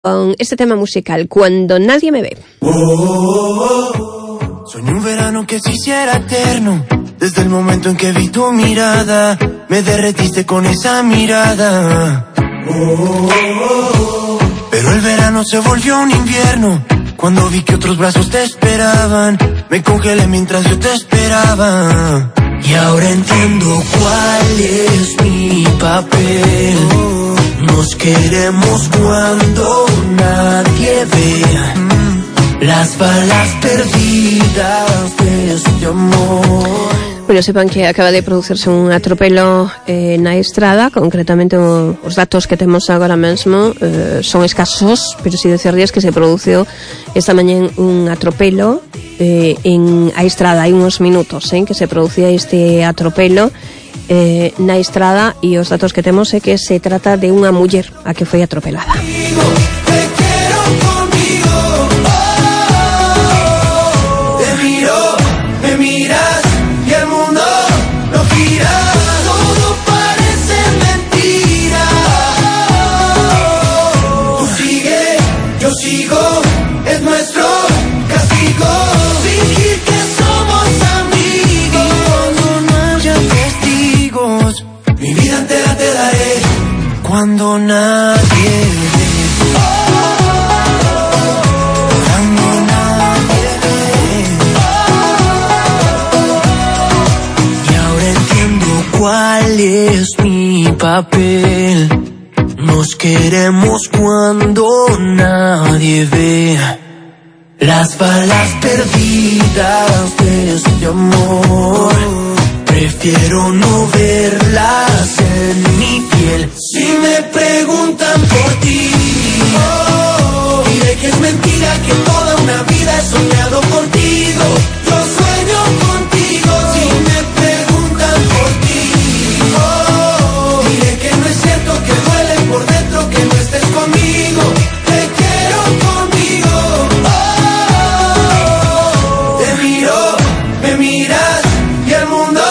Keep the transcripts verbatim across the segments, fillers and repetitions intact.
Con este tema musical, Cuando nadie me ve. Oh, oh, oh. Soñé un verano que se hiciera eterno. Desde el momento en que vi tu mirada, me derretiste con esa mirada. Oh, oh, oh. Pero el verano se volvió un invierno. Cuando vi que otros brazos te esperaban, me congelé mientras yo te esperaba. Y ahora entiendo cuál es mi papel. Nos queremos cuando nadie ve las balas perdidas de este amor. Bueno, sepan que acaba de producirse un atropelo eh, na estrada, concretamente o, os datos que temos agora mesmo eh, son escasos, pero si decirles que se produciu esta mañá un atropelo eh, en a estrada, hai uns minutos eh, que se producía este atropelo eh, na estrada, e os datos que temos é que se trata de unha muller a que foi atropelada. Cuando nadie ve, cuando nadie ve, y ahora entiendo cuál es mi papel. Nos queremos cuando nadie ve las balas perdidas de este amor. Prefiero no verlas en mi piel. Si me preguntan por ti, oh, diré que es mentira, que toda una vida he soñado contigo. Yo sueño contigo. Si me preguntan por ti, oh, diré que no es cierto, que duele por dentro que no estés conmigo. Te quiero conmigo. Oh, te miro, me miras y el mundo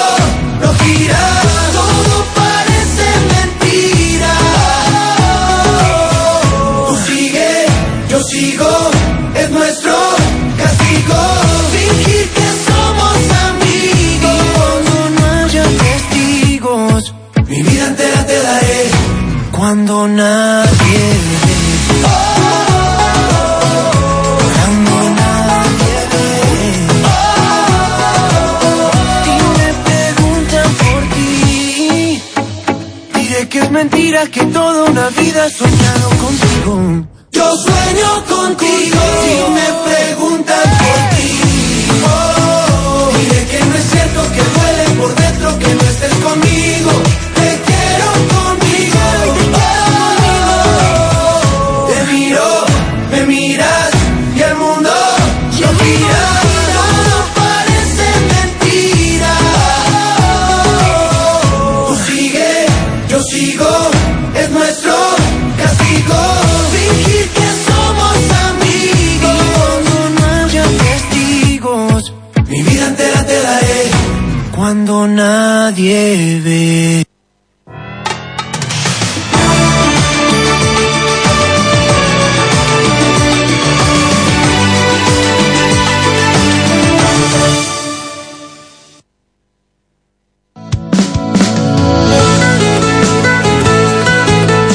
no gira. Todo parece mentira. Tú sigue, yo sigo, es nuestro castigo. Fingir que somos amigos. Cuando no haya testigos, mi vida entera te daré. Cuando nadie ve, cuando nadie ve, y me preguntan por ti, diré que es mentira, que toda una vida he soñado contigo. Yo sueño contigo. Si me preguntan por ti, oh, diré que no es cierto, que duele por dentro que no estés conmigo. Te quiero conmigo. Oh, te miro, me miras y el mundo no gira. Todo parece mentira. Tú sigue, yo sigo, es nuestro castigo. Fingir que somos amigos. Cuando no haya testigos, mi vida entera te daré. Cuando nadie ve.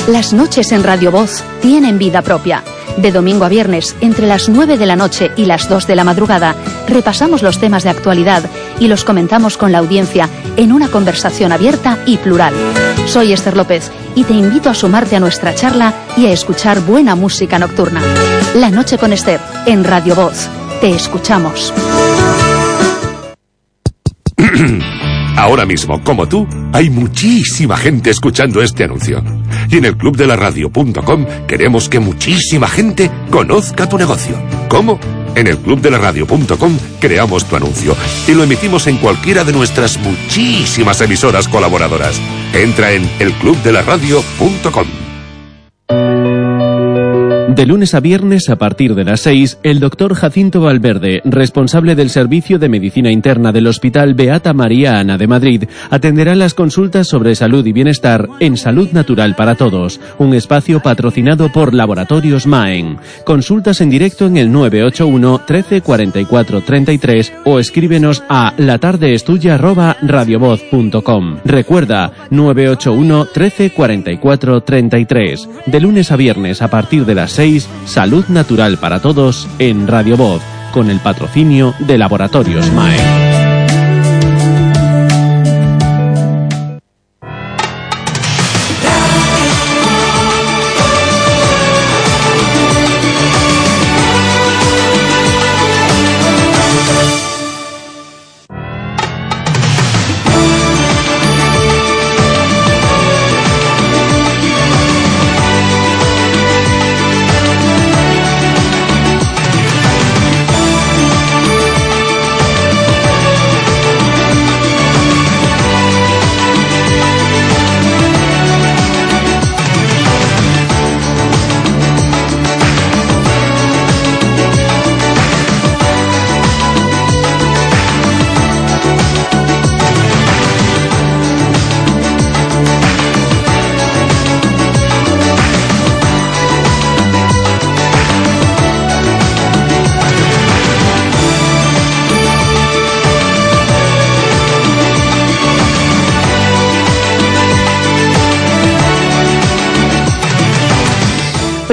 Las noches en Radio Voz tienen vida propia. De domingo a viernes, entre las nueve de la noche y las dos de la madrugada, repasamos los temas de actualidad y los comentamos con la audiencia en una conversación abierta y plural. Soy Esther López y te invito a sumarte a nuestra charla y a escuchar buena música nocturna. La noche con Esther, en Radio Voz. Te escuchamos. Ahora mismo, como tú, hay muchísima gente escuchando este anuncio. Y en el club de la radio punto com queremos que muchísima gente conozca tu negocio. ¿Cómo? En el club de la radio punto com creamos tu anuncio y lo emitimos en cualquiera de nuestras muchísimas emisoras colaboradoras. Entra en el club de la radio punto com. De lunes a viernes, a partir de las seis, el doctor Jacinto Valverde, responsable del Servicio de Medicina Interna del Hospital Beata María Ana de Madrid, atenderá las consultas sobre salud y bienestar en Salud Natural para Todos, un espacio patrocinado por Laboratorios Maen. Consultas en directo en el nueve ocho uno, trece, cuarenta y cuatro, treinta y tres o escríbenos a latardeestuya arroba radiovoz punto com. Recuerda, nueve ocho uno, trece, cuarenta y cuatro, treinta y tres. De lunes a viernes, a partir de las seis, Salud Natural para Todos en Radio Voz, con el patrocinio de Laboratorios Maen.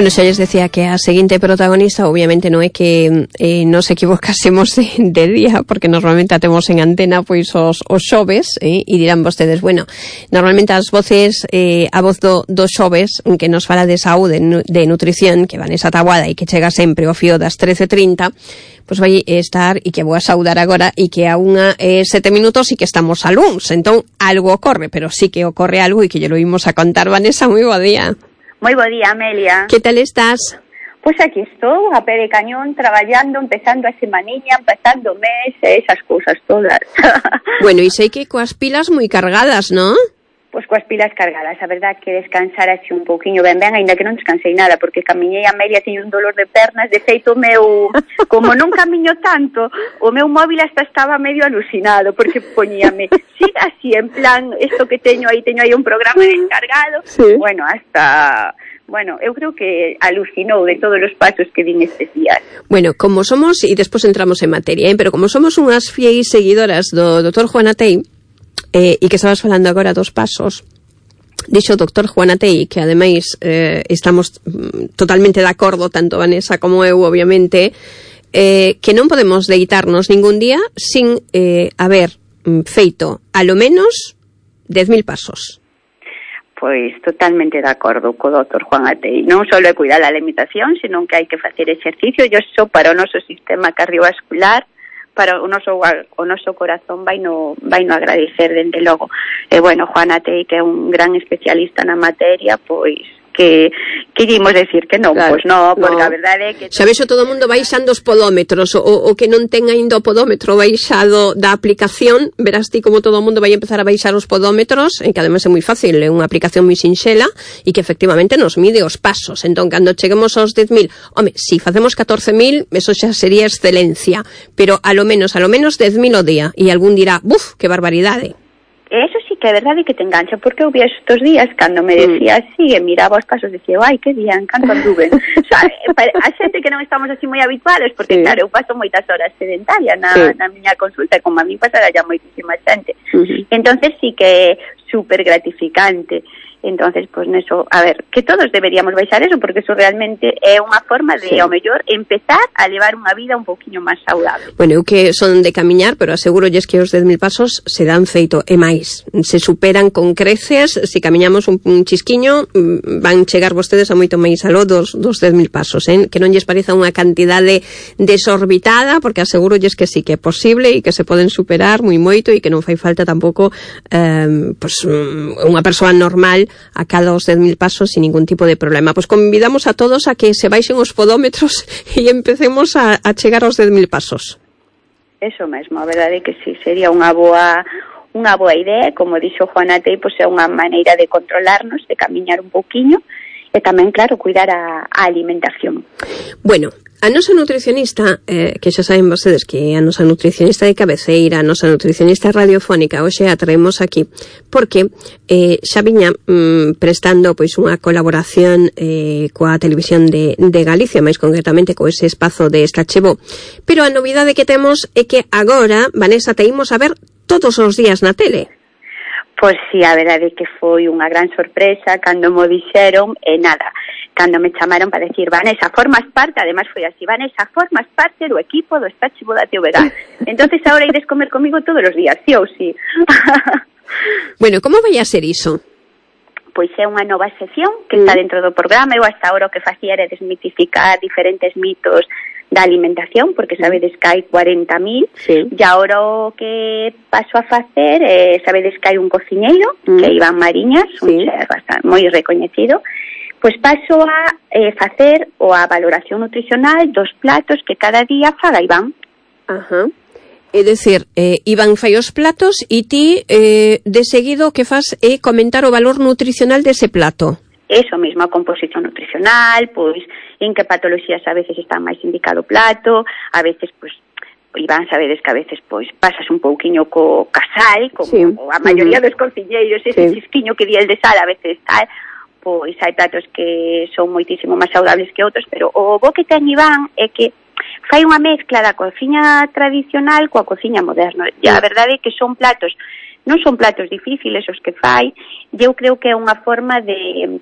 Bueno, xa les decía que a seguinte protagonista obviamente non é que eh, nos equivocásemos de, de día, porque normalmente a temos en antena pois os, os xoves, eh, e dirán vostedes, bueno, normalmente as voces, eh, a voz do, do xoves que nos fala de saúde, de nutrición, que van esa tabuada e que chega sempre ao fío das trece e trinta, pois vai estar, e que vou a saudar agora, e que a unha eh, sete minutos e que estamos a luns, entón algo ocorre, pero sí que ocorre algo e que lle lo imos a contar. Vanessa, moi bo día. Moi bo día, Amelia. Que tal estás? Pois aquí estou, a pé de cañón, traballando, empezando a semaniña, empezando o mes, e esas cousas todas. Bueno, e sei que coas pilas moi cargadas, non? Pois coas pilas cargadas, a verdad que descansar así un pouquiño ben ben, ainda que non descansei nada, porque camiñei a Amelia, teño un dolor de pernas, de feito o meu, como non camiño tanto, o meu móvil hasta estaba medio alucinado, porque poñíame, siga así, en plan, isto que teño aí, teño aí un programa descargado, sí. Bueno, hasta... Bueno, eu creo que alucinou de todos os pasos que din estes días. Bueno, como somos, e despois entramos en materia, ¿eh? Pero como somos unhas fieis seguidoras do doutor Juan Atei, eh, e que estabas falando agora dos pasos, dixo o doutor Juan Atei, que ademais eh, estamos totalmente de acordo, tanto Vanessa como eu, obviamente, eh, que non podemos deitarnos ningún día sin eh, haber feito, a lo menos, dez mil pasos. Pois totalmente de acordo co doutor Juan Atei. Non só é cuidar a alimentación, senón que hai que facer exercicio, e iso para o noso sistema cardiovascular, para o noso o noso corazón vai no vai no agradecer, dende logo. E bueno, Juan Atei, que é un gran especialista na materia, pois que que dimos decir que non, claro, pois non, porque no. A verdade é que... Xa vexo todo o mundo baixando os podómetros, o, o que non ten ainda o podómetro baixado da aplicación, verás ti como todo o mundo vai empezar a baixar os podómetros, en que ademais é moi fácil, é unha aplicación moi sinxela, e que efectivamente nos mide os pasos. Entón, cando cheguemos aos dez mil, home, si facemos catorce mil, eso xa sería excelencia, pero a lo menos, a lo menos dez mil o día, e algún dirá, buf, que barbaridade. Eso sí que é verdade que te engancha, porque eu vi estos días, cando me decía así, e miraba os pasos, decía, ai, que bien, canto anduve. O sea, a xente que non estamos así moi habituales, porque, sí, claro, eu paso moitas horas sedentaria na, sí, na miña consulta, como a mí pasara ya moitísima xente. Uh-huh. Entonces sí que é super gratificante. Entonces, pues neso, a ver, que todos deberíamos baixar eso, porque eso realmente é unha forma de, sí, ao mellor, empezar a levar unha vida un poquinho máis saudable. Bueno, eu que son de camiñar, pero asegurolles que os dez mil pasos se dan feito, e máis, se superan con creces. Se camiñamos un, un chisquiño, van chegar vostedes a moito máis aló dos, dos dez mil pasos, eh? Que non lles pareza unha cantidade desorbitada, porque asegurolles que sí que é posible e que se poden superar moi moito, e que non fai falta tampouco eh, pues, unha persoa normal a cada os dez mil pasos sin ningún tipo de problema. Pois convidamos a todos a que se baixen os podómetros e empecemos a, a chegar aos dez mil pasos. Eso mesmo, a verdade é que sí, sería unha boa unha boa idea, como dixo Juan Atei, pois é unha maneira de controlarnos, de camiñar un pouquiño, e tamén, claro, cuidar a, a alimentación. Bueno, a nosa nutricionista, eh, que xa saben vostedes que a nosa nutricionista de cabeceira, a nosa nutricionista radiofónica, hoxe a traemos aquí, porque eh, xa viña mm, prestando pois unha colaboración eh, coa televisión de, de Galicia, máis concretamente co ese espazo de Estachevó, pero a novidade que temos é que agora, Vanessa, te imos a ver todos os días na tele. Pois si, a verdade é que foi unha gran sorpresa cando mo dixeron, e nada, cando me chamaron para decir, Vanessa, formas parte, además foi así, Vanessa, formas parte do equipo do Estachevó da T V G. Entonces agora ides comer comigo todos os días, sí ou sí. Bueno, como vai a ser iso? Pois é unha nova sección que está dentro do programa. Eu hasta ahora o que facía era desmitificar diferentes mitos da alimentación, porque sabedes que hai cuarenta mil, sí. E agora o que paso a facer, eh, sabedes que hai un cociñeiro, mm. que é Iván Mariñas, sí. Un chef bastante, moi recoñecido, pois paso a eh, facer o a valoración nutricional dos platos que cada día faga Iván. Ajá. É dicir, eh, Iván fai os platos e ti eh, de seguido o que faz é comentar o valor nutricional dese plato. Eso mesmo, a composición nutricional, pois en que patologías a veces está máis indicado o plato, a veces, pois, Iván, sabedes que a veces, pois, pasas un pouquiño co casal, como sí. A maioría uh-huh. dos cociñeiros, ese sí. Chisquiño que di el de sal, a veces tal, pois hai platos que son moitísimo máis saudables que outros, pero o bo que ten Iván é que fai unha mezcla da cociña tradicional coa cociña moderna. E a verdade é que son platos, non son platos difíciles os que fai, e eu creo que é unha forma de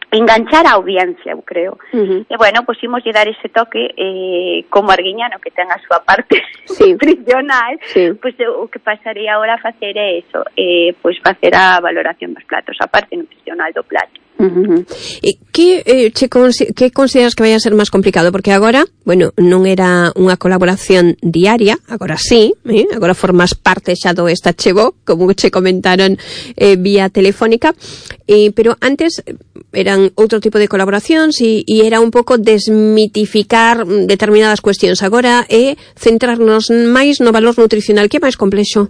enganchar a audiencia, eu creo. Uh-huh. E bueno, pois imos lle dar ese toque eh, como Arguiñano, que ten a súa parte sí. nutricional, sí. Pois o que pasaría agora a facer é eso, eh, pois facer a valoración dos platos, a parte nutricional do plato. Uh-huh. E que, eh, che, que consideras que vai a ser máis complicado? Porque agora, bueno, non era unha colaboración diaria, agora sí, eh? Agora formas parte xa do Estachevó, como che comentaron eh, vía telefónica, eh, pero antes eran outro tipo de colaboracións e, e era un pouco desmitificar determinadas cuestións. Agora é centrarnos máis no valor nutricional, que é máis complexo.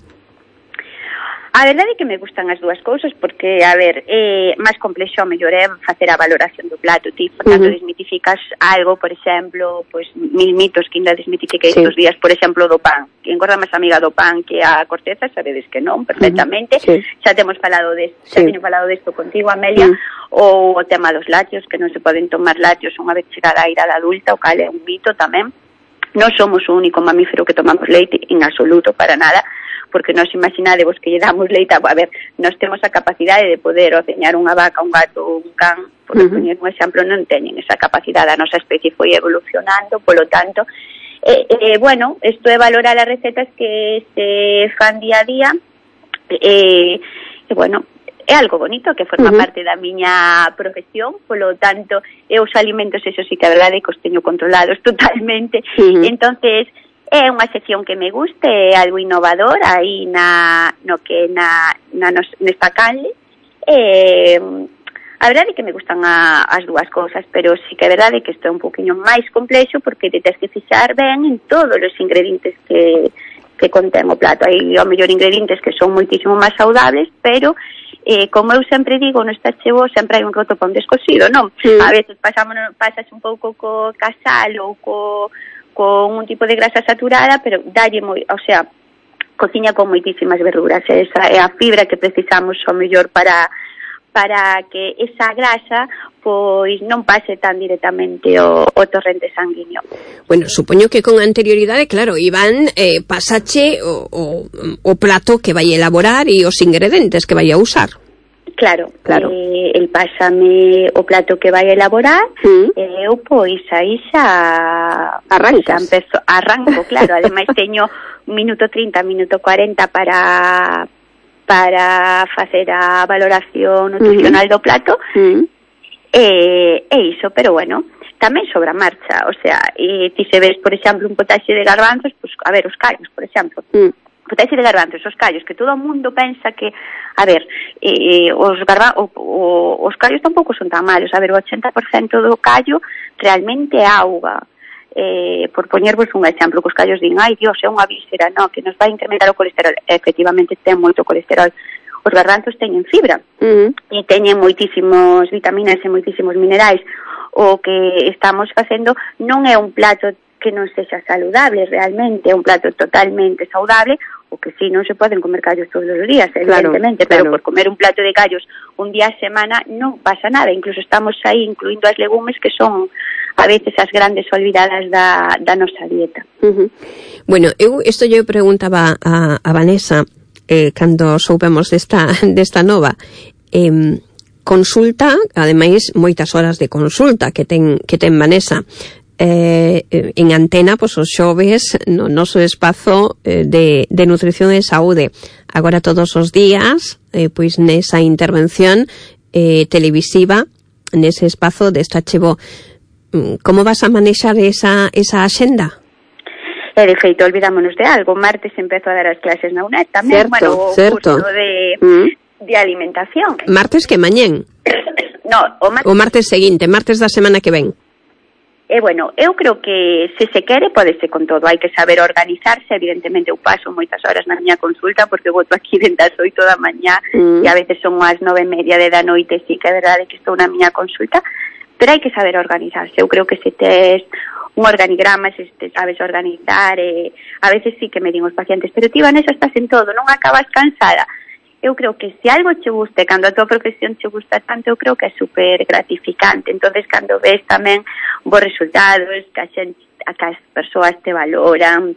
A verdade é que me gustan as dúas cousas porque, a ver, é máis complexo, mellor é facer a valoración do plato. Ti, por tanto, uh-huh. desmitificas algo, por exemplo, pois mil mitos que ainda desmitifiquei sí. estes días, por exemplo, do pan. Que engorda máis amiga do pan que a corteza, sabedes que non, perfectamente. Uh-huh. Sí. Xa temos falado desto, sí. xa teño falado desto contigo, Amelia, uh-huh. ou o tema dos lácteos, que non se poden tomar lácteos unha vez chegada a idade adulta, o cal é un mito tamén. Non somos o único mamífero que tomamos leite, en absoluto, para nada, porque nós imaginadevos que lle damos leite, a ver, nós temos a capacidade de poder ordeñar unha vaca, un gato ou un can, por uh-huh. poñer un exemplo, non teñen esa capacidade, a nosa especie foi evolucionando, polo tanto, eh, eh, bueno, isto é valorar as recetas que se fan día a día, e, eh, bueno, é algo bonito que forma uh-huh. parte da miña profesión, polo tanto, e os alimentos, eso sí que a verdade é que os teño controlados totalmente, uh-huh. entonces, é unha sección que me guste, é algo innovador aí na, no que na, na nos, nesta canle. Eh, a verdade é que me gustan a, as dúas cousas, pero sí que é verdade que isto é un poquinho máis complexo porque te tens que fixar ben en todos os ingredientes que, que contén o plato. Hai ao mellor ingredientes que son moitísimo máis saudables, pero eh, como eu sempre digo, no Estachevó sempre hai un roto para un descosido, non? Sí. A veces pasamos, pasas un pouco co casal ou co con un tipo de grasa saturada, pero dalle moi, o sea, cociña con moitísimas verduras, esa é a fibra que precisamos ao mellor para para que esa grasa pois non pase tan directamente o, o torrente sanguíneo. Bueno, supoño que con anterioridade, claro, Iván, eh, pasache o, o, o plato que vai elaborar e os ingredientes que vai a usar. Claro, claro. Eh, el pásame o plato que vai elaborar, mm. e eu pois aí xa arrancas. Xa empezo, arranco, claro, ademais teño minuto trinta, minuto cuarenta para para facer a valoración nutricional mm. do plato. Mm. E, e iso, pero bueno, tamén sobre a marcha, o sea, e ti se ves, por exemplo, un potaxe de garbanzos, pues, a ver, os callos, por exemplo. Mm. Potaxe de garbanzos, os callos, que todo o mundo pensa que, a ver, eh, os garba, o, o, os callos tampouco son tan malos, a ver, o ochenta por cento do callo realmente é auga. Eh, por poñervos un exemplo, que os callos din, ai Dios, é unha víscera, no, que nos vai incrementar o colesterol. Efectivamente ten moito colesterol. os garbanzos teñen fibra uh-huh. e teñen moitísimos vitaminas e moitísimos minerais. O que estamos facendo non é un plato que non sexa saludable realmente, é un plato totalmente saudable, o que si non se poden comer callos todos os días, evidentemente, claro, pero claro. por comer un plato de callos un día a semana non pasa nada, incluso estamos aí incluindo as legumes que son a veces as grandes olvidadas da, da nosa dieta. Uh-huh. Bueno, eu isto eu preguntaba a, a Vanessa eh, cando soupemos desta, desta nova, eh, consulta, ademais moitas horas de consulta que ten, que ten Vanessa, eh, en antena, pois os xoves no noso espazo eh, de, de nutrición e saúde. Agora todos os días, eh, pois nesa intervención eh, televisiva, nese espazo desta Chevo. Como vas a manexar esa, esa axenda? E de feito, olvidámonos de algo. Martes empezo a dar as clases na UNED tamén, certo, bueno, o certo. curso de, mm. de alimentación. Martes que mañén? No, o martes... o martes seguinte, martes da semana que ven. E, bueno, eu creo que se se quere podese con todo, hai que saber organizarse, evidentemente eu paso moitas horas na miña consulta porque voto aquí dentro das oito da mañá mm. e a veces son as nove e media de da noite, sí que é verdade que estou na miña consulta, pero hai que saber organizarse. Eu creo que se tes un organigrama, se te sabes organizar, e a veces sí que me din os pacientes, pero ti, Vanessa, estás en todo, non acabas cansada. Eu creo que se algo che guste, cando a tua profesión che gusta tanto, eu creo que é super gratificante. Entonces, cando ves tamén bons resultados, que a xente, que as persoas te valoran,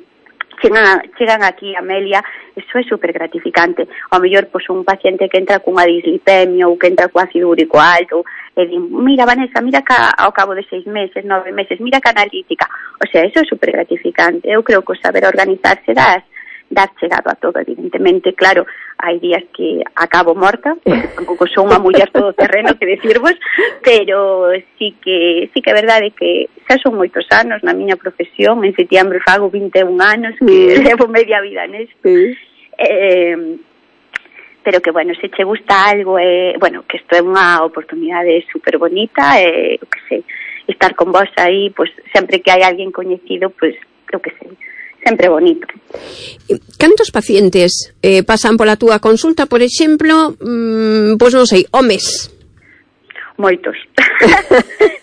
chegan, a, chegan aquí, Amelia, eso é super gratificante. Ao mellor, pois, un paciente que entra cunha dislipemia ou que entra co ácido úrico alto, e din, mira, Vanessa, mira que ao cabo de seis meses, nove meses, mira que analítica. O sea, eso é super gratificante. Eu creo que o saber organizarse das dar chegado a todo, evidentemente, claro, hai días que acabo morta, porque tampouco son unha muller todo terreno que decirvos, pero sí que sí que é verdade que xa son moitos anos na miña profesión, en setembro fago vinte e un anos, que mm. levo media vida nesto, mm. eh, pero que, bueno, se che gusta algo, eh, bueno, que isto é unha oportunidade super bonita, eh, que sei, estar con vos aí, pues, sempre que hai alguén coñecido, pues, creo que sei, sempre bonito. Cantos pacientes eh, pasan pola túa consulta, por exemplo, mmm, pois non sei, o mes? Moitos.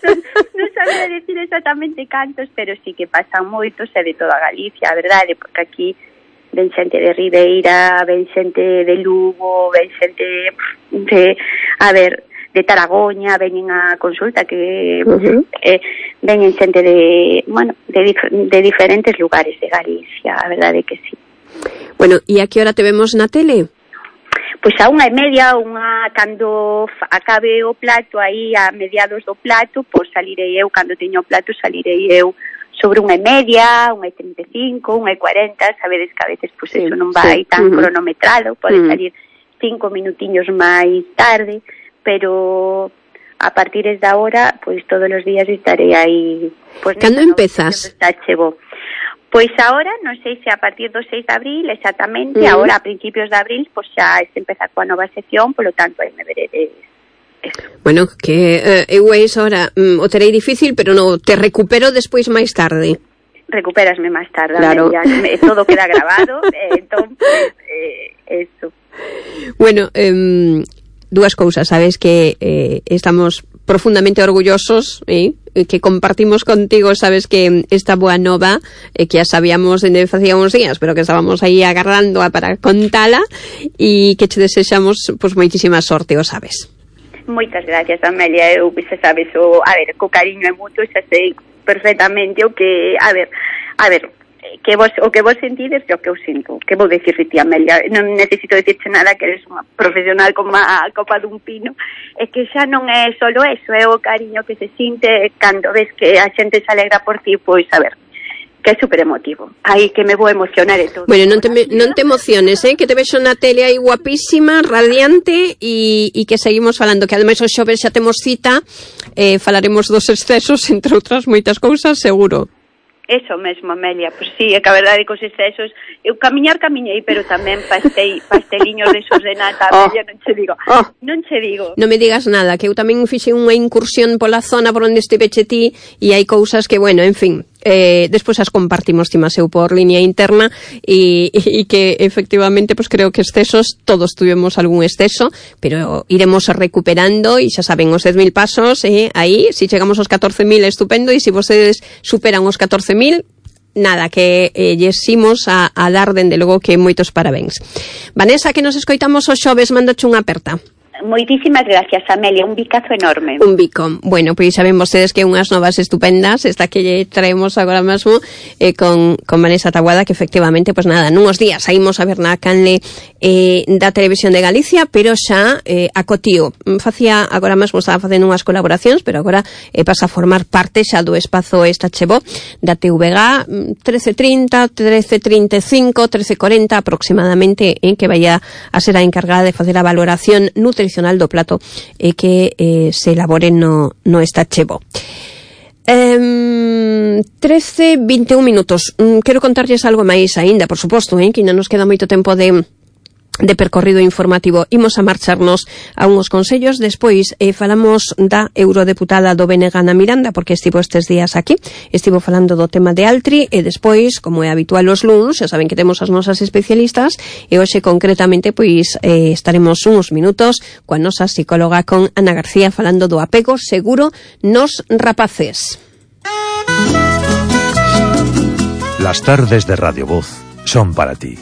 non, non sabía decir exactamente cantos, pero sí que pasan moitos, e de toda Galicia, a verdade, porque aquí ven xente de Ribeira, ven xente de Lugo, ven xente de, a ver, de Taragoña, veñen a consulta, que uh-huh. eh, veñen xente de, bueno, de, dif- de diferentes lugares de Galicia, a verdade que sí. Bueno, e a que hora te vemos na tele? Pois a unha e media, unha cando acabe o plato, aí a mediados do plato, pois salirei eu, cando teño o plato salirei eu sobre unha e media, unha e trinta e cinco, unha e cuarenta, sabedes que a veces pois sí, eso non vai sí. tan uh-huh. cronometrado, pode uh-huh. salir cinco minutiños máis tarde, pero a partir da hora, pois todos os días estarei aí. Pois, cando empezas? Pois agora, non sei se a partir do seis de abril, exactamente, uh-huh. agora a principios de abril, pois xa se empeza coa nova sección, polo tanto aí me veredes. Eso. Bueno, que eh, eu eso ahora mm, o terei difícil, pero no te recupero despois máis tarde. Recuperasme máis tarde, claro. Ya, todo queda grabado, eh, entón, eh, eso. Bueno, eh, dúas cousas, sabes que eh, estamos profundamente orgullosos, eh, que compartimos contigo, sabes que esta boa nova, eh, que ya sabíamos dende facía uns días, pero que estábamos aí agarrando para contala, e que te desexamos pues, moitísima sorte, o sabes. Moitas gracias, Amelia, eu xa sabes, o, a ver, co cariño e mutuo, xa sei perfectamente o que, a ver, a ver, que vos, o que vos sentides é o que eu sinto. Que vou dicirte ti, Amelia? Non necesito dicirte nada, que eres unha profesional como a copa dun pino. É que xa non é solo eso, é o cariño que se sinte cando ves que a xente se alegra por ti, pois, a ver, que é super emotivo. Aí que me vou emocionar e todo. Bueno, non te, me, non te emociones, eh? Que te vexo na tele aí guapísima, radiante, e, e que seguimos falando, que ademais os xoves xa temos cita, eh, falaremos dos excesos, entre outras moitas cousas, seguro. Eso mesmo, Amelia, pois sí, é que a verdade que os excesos, eu camiñar camiñei, pero tamén pastei, pasteliños desos de nata, Amelia, oh. non che digo, oh. non che digo. Non me digas nada, que eu tamén fixe unha incursión pola zona por onde estiveche ti, e hai cousas que, bueno, en fin, Eh, despois as compartimos timaseu por línea interna e, e que efectivamente pues creo que excesos todos tuvimos algún exceso, pero iremos recuperando e xa saben os dez mil pasos e eh, aí, si chegamos aos catorce mil estupendo, e si vostedes superan os catorce mil nada, que eh, llesimos a, a dar dende logo que moitos parabéns. Vanessa, que nos escoitamos os xoves, mandoche unha aperta. Moitísimas gracias, Amelia, un bicazo enorme. Un bico. Bueno, pois saben vostedes que unhas novas estupendas, esta que lle traemos agora mesmo eh, con, con Vanessa Taboada, que efectivamente, pois nada, nuns días saímos a ver na canle eh, da Televisión de Galicia, pero xa eh, acotío. Facía, agora mesmo estaba facendo unhas colaboracións, pero agora eh, pasa a formar parte xa do espazo esta chevó da T V G trece trinta, trece trinta e cinco, trece cuarenta aproximadamente, en que vaya a ser a encargada de facer a valoración nutricional do plato e eh, que eh, se elabore no, no esta chevó. Um, trece veintiún minutos. Um, quero contarlles algo máis aínda, por suposto, eh, que non nos queda moito tempo de de percorrido informativo. Imos a marcharnos a uns consellos, despois eh, falamos da eurodeputada do B N G Ana Miranda, porque estivo estes días aquí, estivo falando do tema de Altri, e despois, como é habitual os luns, xa saben que temos as nosas especialistas, e hoxe concretamente pois eh, estaremos uns minutos coa nosa psicóloga, con Ana García, falando do apego seguro nos rapaces. Las tardes de Radio Voz son para ti.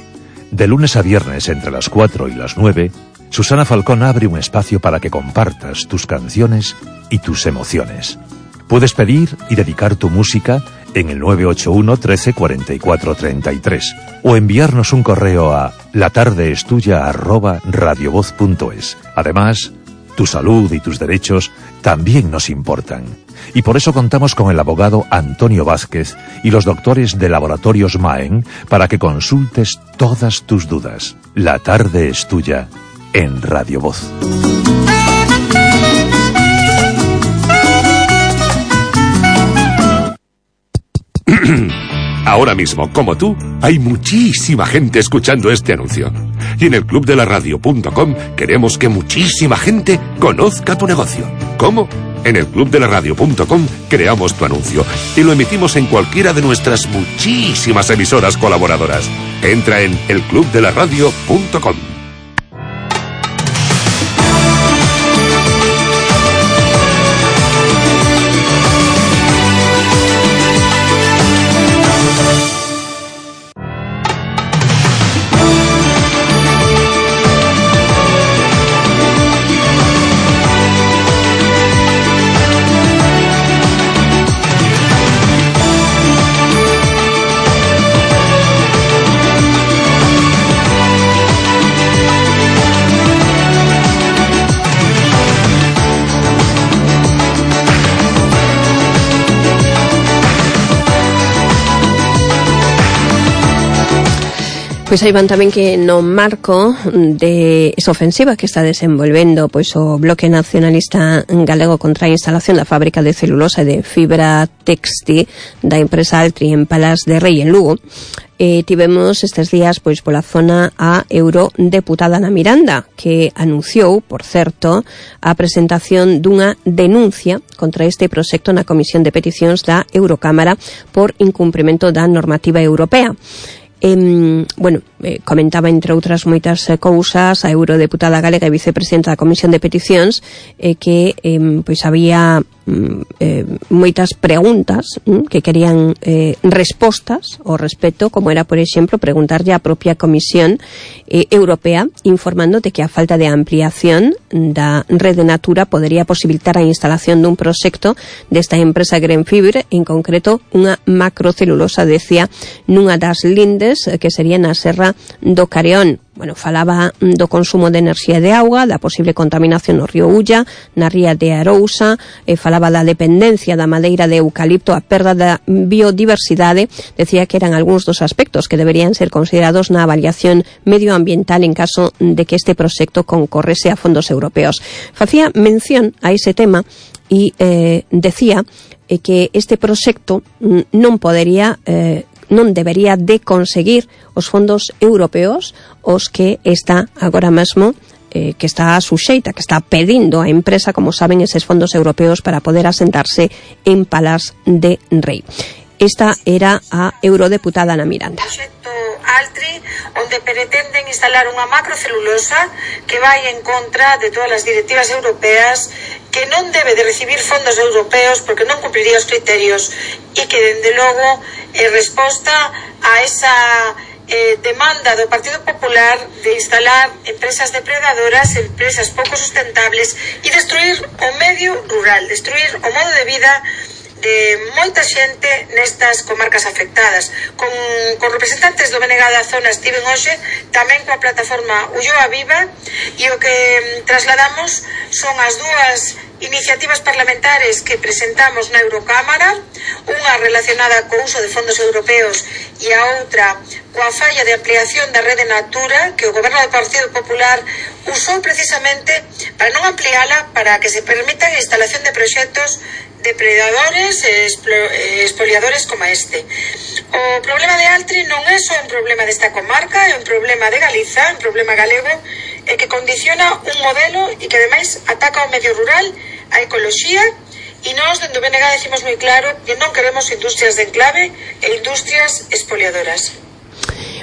De lunes a viernes entre las cuatro y las nueve, Susana Falcón abre un espacio para que compartas tus canciones y tus emociones. Puedes pedir y dedicar tu música en el nueve ocho uno, trece, cuarenta y cuatro, treinta y tres o enviarnos un correo a latardeestuya arroba radiovoz punto es. Además, tu salud y tus derechos también nos importan. Y por eso contamos con el abogado Antonio Vázquez y los doctores de Laboratorios Maen para que consultes todas tus dudas. La tarde es tuya en Radio Voz. Ahora mismo, como tú, hay muchísima gente escuchando este anuncio. Y en el club de la radio punto com queremos que muchísima gente conozca tu negocio. ¿Cómo? En el club de la radio punto com creamos tu anuncio y lo emitimos en cualquiera de nuestras muchísimas emisoras colaboradoras. Entra en el club de la radio punto com. Pois aí van tamén que no marco de esa ofensiva que está desenvolvendo pois o Bloque Nacionalista Galego contra a instalación da fábrica de celulosa e de fibra textil da empresa Altri en Palas de Rei, en Lugo, eh, tivemos estes días pois pola zona a eurodeputada Ana Miranda, que anunciou, por certo, a presentación dunha denuncia contra este proxecto na Comisión de Peticións da Eurocámara por incumprimento da normativa europea. Eh, bueno, eh, comentaba entre outras moitas eh, cousas a eurodeputada galega e vicepresidenta da Comisión de Peticións eh, que eh, pois había eh, moitas preguntas eh, que querían eh, respostas ao respecto, como era, por exemplo, preguntarlle á propia Comisión eh, Europea informando de que a falta de ampliación da rede Natura podería posibilitar a instalación dun proxecto desta empresa Grenfibre, en concreto unha macrocelulosa, decía, nunha das lindes que sería na Serra do Careón. Bueno, falaba do consumo de enerxía e de auga, da posible contaminación no río Ulla, na ría de Arousa, e falaba da dependencia da madeira de eucalipto, a perda da biodiversidade. Decía que eran algúns dos aspectos que deberían ser considerados na avaliación medioambiental en caso de que este proxecto concorrese a fondos europeos. Facía mención a ese tema e eh, decía eh, que este proxecto non podería eh, non debería de conseguir os fondos europeos os que está agora mesmo eh, que está suxeita, que está pedindo a empresa, como saben, eses fondos europeos para poder asentarse en Palas de Rei. Esta era a eurodeputada Ana Miranda. Altri, onde pretenden instalar unha macrocelulosa que vai en contra de todas as directivas europeas, que non debe de recibir fondos europeos porque non cumpliría os criterios e que, dende logo, é resposta a esa eh, demanda do Partido Popular de instalar empresas depredadoras, empresas pouco sustentables e destruir o medio rural, destruir o modo de vida de moita xente nestas comarcas afectadas. Con, con representantes do B N G da zona estiven hoxe, tamén coa plataforma Ulloa Viva, e o que trasladamos son as dúas iniciativas parlamentares que presentamos na Eurocámara, unha relacionada co uso de fondos europeos e a outra coa falla de ampliación da rede Natura, que o goberno do Partido Popular usou precisamente para non ampliala, para que se permitan a instalación de proxectos depredadores e expoliadores como este. O problema de Altri non é só un problema desta comarca, é un problema de Galiza, un problema galego, e que condiciona un modelo e que ademais ataca o medio rural, a ecoloxía, e nós dende o B N G decimos moi claro que non queremos industrias de enclave e industrias expoliadoras.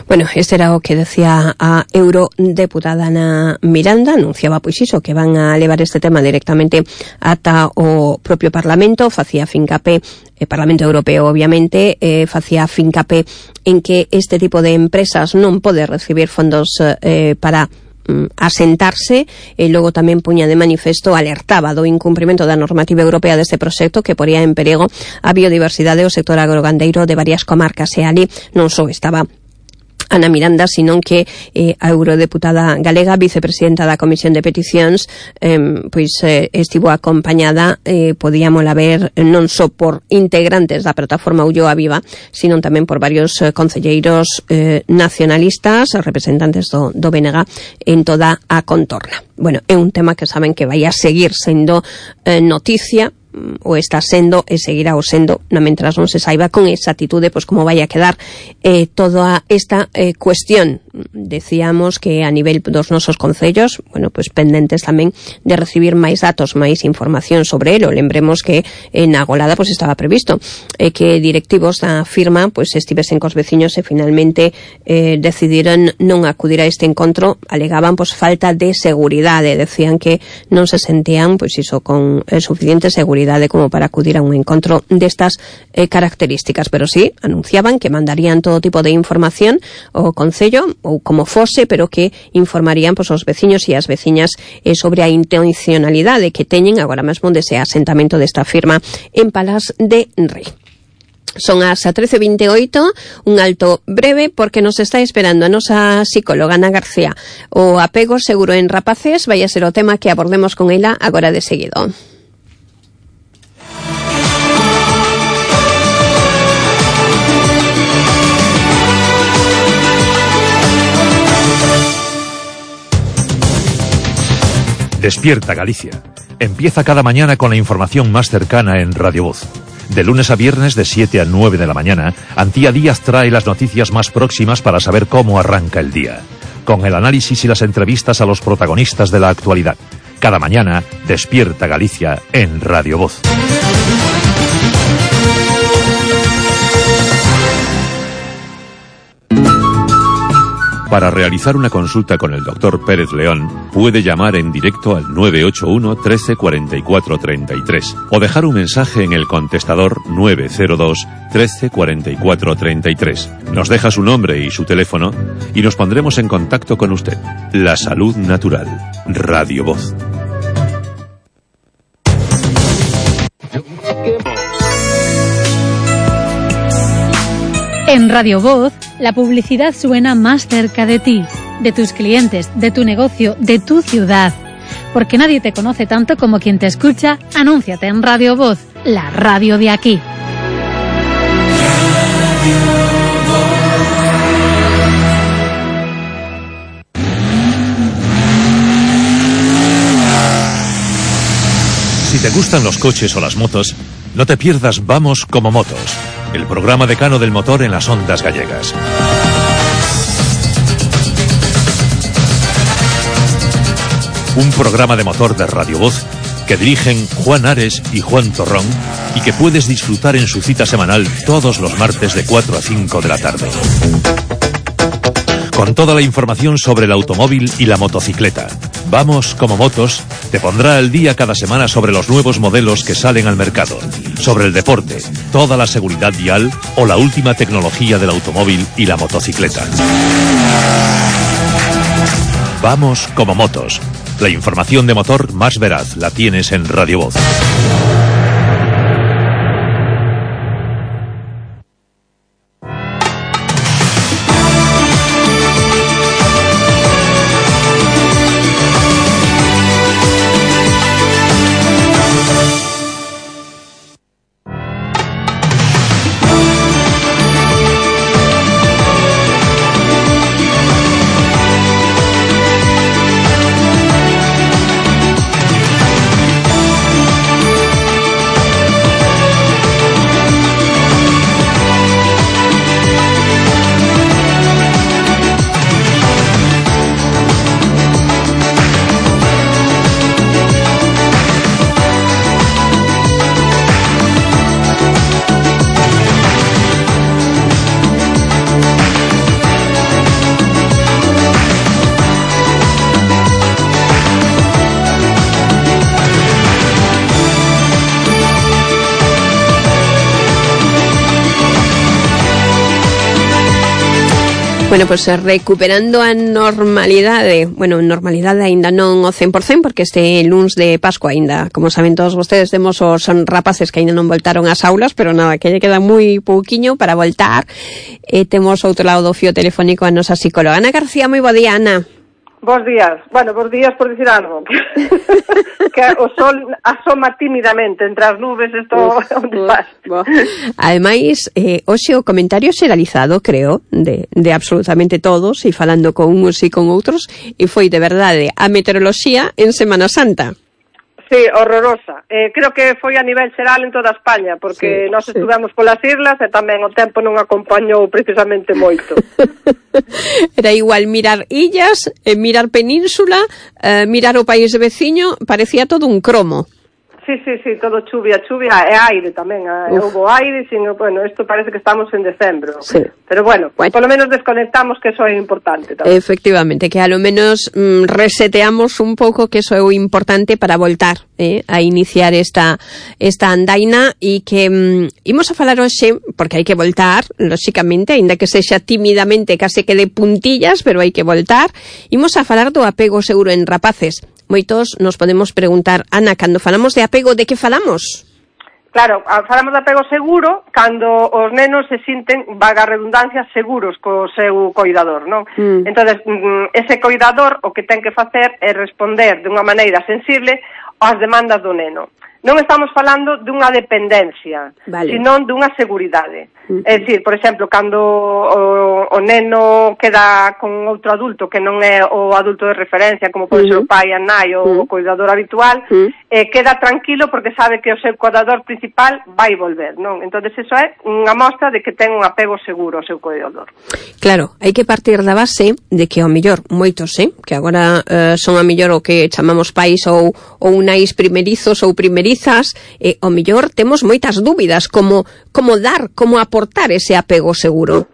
Bueno, este era o que decía a eurodeputada Ana Miranda. Anunciaba pois iso, que van a levar este tema directamente ata o propio Parlamento. Facía fincapé, o Parlamento Europeo obviamente, eh, facía fincapé en que este tipo de empresas non pode recibir fondos eh, para asentarse, e logo tamén puña de manifesto, alertaba do incumprimento da normativa europea deste proxecto que poría en perigo a biodiversidade e o sector agrogandeiro de varias comarcas, e ali non só estaba Ana Miranda, sino que eh, a eurodeputada galega, vicepresidenta da Comisión de Peticións, eh, pois eh, estivo acompañada, eh, podíamola ver non só por integrantes da plataforma Ulloa Viva, sino tamén por varios eh, concelleiros eh, nacionalistas, representantes do, do B N G en toda a contorna. Bueno, é un tema que saben que vai a seguir sendo eh, noticia, o está sendo e seguirá o sendo, no mentras non se saiba con exactitude pois como vai a quedar eh, toda esta eh, cuestión. Decíamos que a nivel dos nosos concellos, bueno, pois pendentes tamén de recibir máis datos, máis información sobre elo. Lembremos que en Agolada pois estaba previsto eh, que directivos da firma pois estivesen cos veciños e finalmente eh, decidiron non acudir a este encontro. Alegaban pois falta de seguridade, decían que non se sentían pois iso con eh, suficiente seguridade como para acudir a un encontro destas eh, características, pero sí, anunciaban que mandarían todo tipo de información ao concello, ou como fose, pero que informarían pois, os veciños e as veciñas eh, sobre a intencionalidade que teñen agora mesmo dese asentamento desta firma en Palas de Rei. Son as trece vinte e oito, un alto breve porque nos está esperando a nosa psicóloga Ana García. O apego seguro en rapaces vai a ser o tema que abordemos con ela agora de seguido. Despierta Galicia. Empieza cada mañana con la información más cercana en Radio Voz. De lunes a viernes de siete a nueve de la mañana, Antía Díaz trae las noticias más próximas para saber cómo arranca el día, con el análisis y las entrevistas a los protagonistas de la actualidad. Cada mañana, Despierta Galicia en Radio Voz. Para realizar una consulta con el doctor Pérez León, puede llamar en directo al nueve ocho uno, trece, cuarenta y cuatro, treinta y tres o dejar un mensaje en el contestador nueve cero dos, trece, cuarenta y cuatro, treinta y tres. Nos deja su nombre y su teléfono y nos pondremos en contacto con usted. La salud natural. Radio Voz. En Radio Voz, la publicidad suena más cerca de ti, de tus clientes, de tu negocio, de tu ciudad. Porque nadie te conoce tanto como quien te escucha, anúnciate en Radio Voz, la radio de aquí. Si te gustan los coches o las motos, no te pierdas Vamos como Motos, el programa decano del motor en las ondas gallegas. Un programa de motor de Radio Voz que dirigen Juan Ares y Juan Torrón y que puedes disfrutar en su cita semanal todos los martes de cuatro a cinco de la tarde. Con toda la información sobre el automóvil y la motocicleta. Vamos como motos te pondrá al día cada semana sobre los nuevos modelos que salen al mercado, sobre el deporte, toda la seguridad vial o la última tecnología del automóvil y la motocicleta. Vamos como motos. La información de motor más veraz la tienes en Radio Voz. Bueno, pois pues, recuperando a normalidade, bueno, normalidade aínda non o cen por cen, porque este luns de Pascua aínda, como saben todos vostedes, temos os rapaces que aínda non voltaron ás aulas, pero nada, que lle queda moi pouquiño para voltar. E temos outro lado do fío telefónico a nosa psicóloga. Ana García, moi bo día, Ana. Bos días. Bueno, bos días por dicir algo. Que o sol asoma tímidamente entre as nubes, isto onde vas. Ademais, eh, hoxe o comentario xeralizado, creo, de, de absolutamente todos, e falando con uns e con outros, e foi de verdade a meteoroloxía en Semana Santa. Sí, horrorosa. Eh, creo que foi a nivel xeral en toda España, porque sí, nós estuvemos sí. polas islas e tamén o tempo non acompañou precisamente moito. Era igual mirar illas, eh, mirar península, eh, mirar o país veciño, parecía todo un cromo. Sí, sí, sí, todo chuvia, chuvia e aire tamén. Houve aire, sino, bueno, isto parece que estamos en decembro. Sí. Pero bueno, bueno, polo menos desconectamos, que eso é importante tamén. Efectivamente, que a lo menos mm, reseteamos un pouco, que eso é o importante para voltar eh, a iniciar esta esta andaina, e que mm, imos a falar hoxe, porque hai que voltar, lóxicamente, aínda que sexa tímidamente, case que de puntillas, pero hai que voltar. Imos a falar do apego seguro en rapaces. Moitos nos podemos preguntar, Ana, cando falamos de apego, de que falamos? Claro, falamos de apego seguro cando os nenos se sinten, vaga redundancia, seguros co seu coidador, non? Mm. Entonces, ese coidador o que ten que facer é responder de unha maneira sensible ás demandas do neno. Non estamos falando dunha dependencia, vale, senón dunha seguridade. Uh-huh. É dicir, por exemplo, cando o, o neno queda con outro adulto que non é o adulto de referencia, como pode uh-huh. ser o pai, a nai ou uh-huh. o cuidador habitual, uh-huh. eh, queda tranquilo porque sabe que o seu cuidador principal vai volver, non? Entón, iso é unha mostra de que ten un apego seguro ao seu cuidador. Claro, hai que partir da base de que ao mellor moitos, eh, que agora eh, son a mellor o que chamamos pais ou, ou nais primerizos ou primerizas, eh, ao mellor temos moitas dúbidas como, como dar, como aportar ese apego seguro.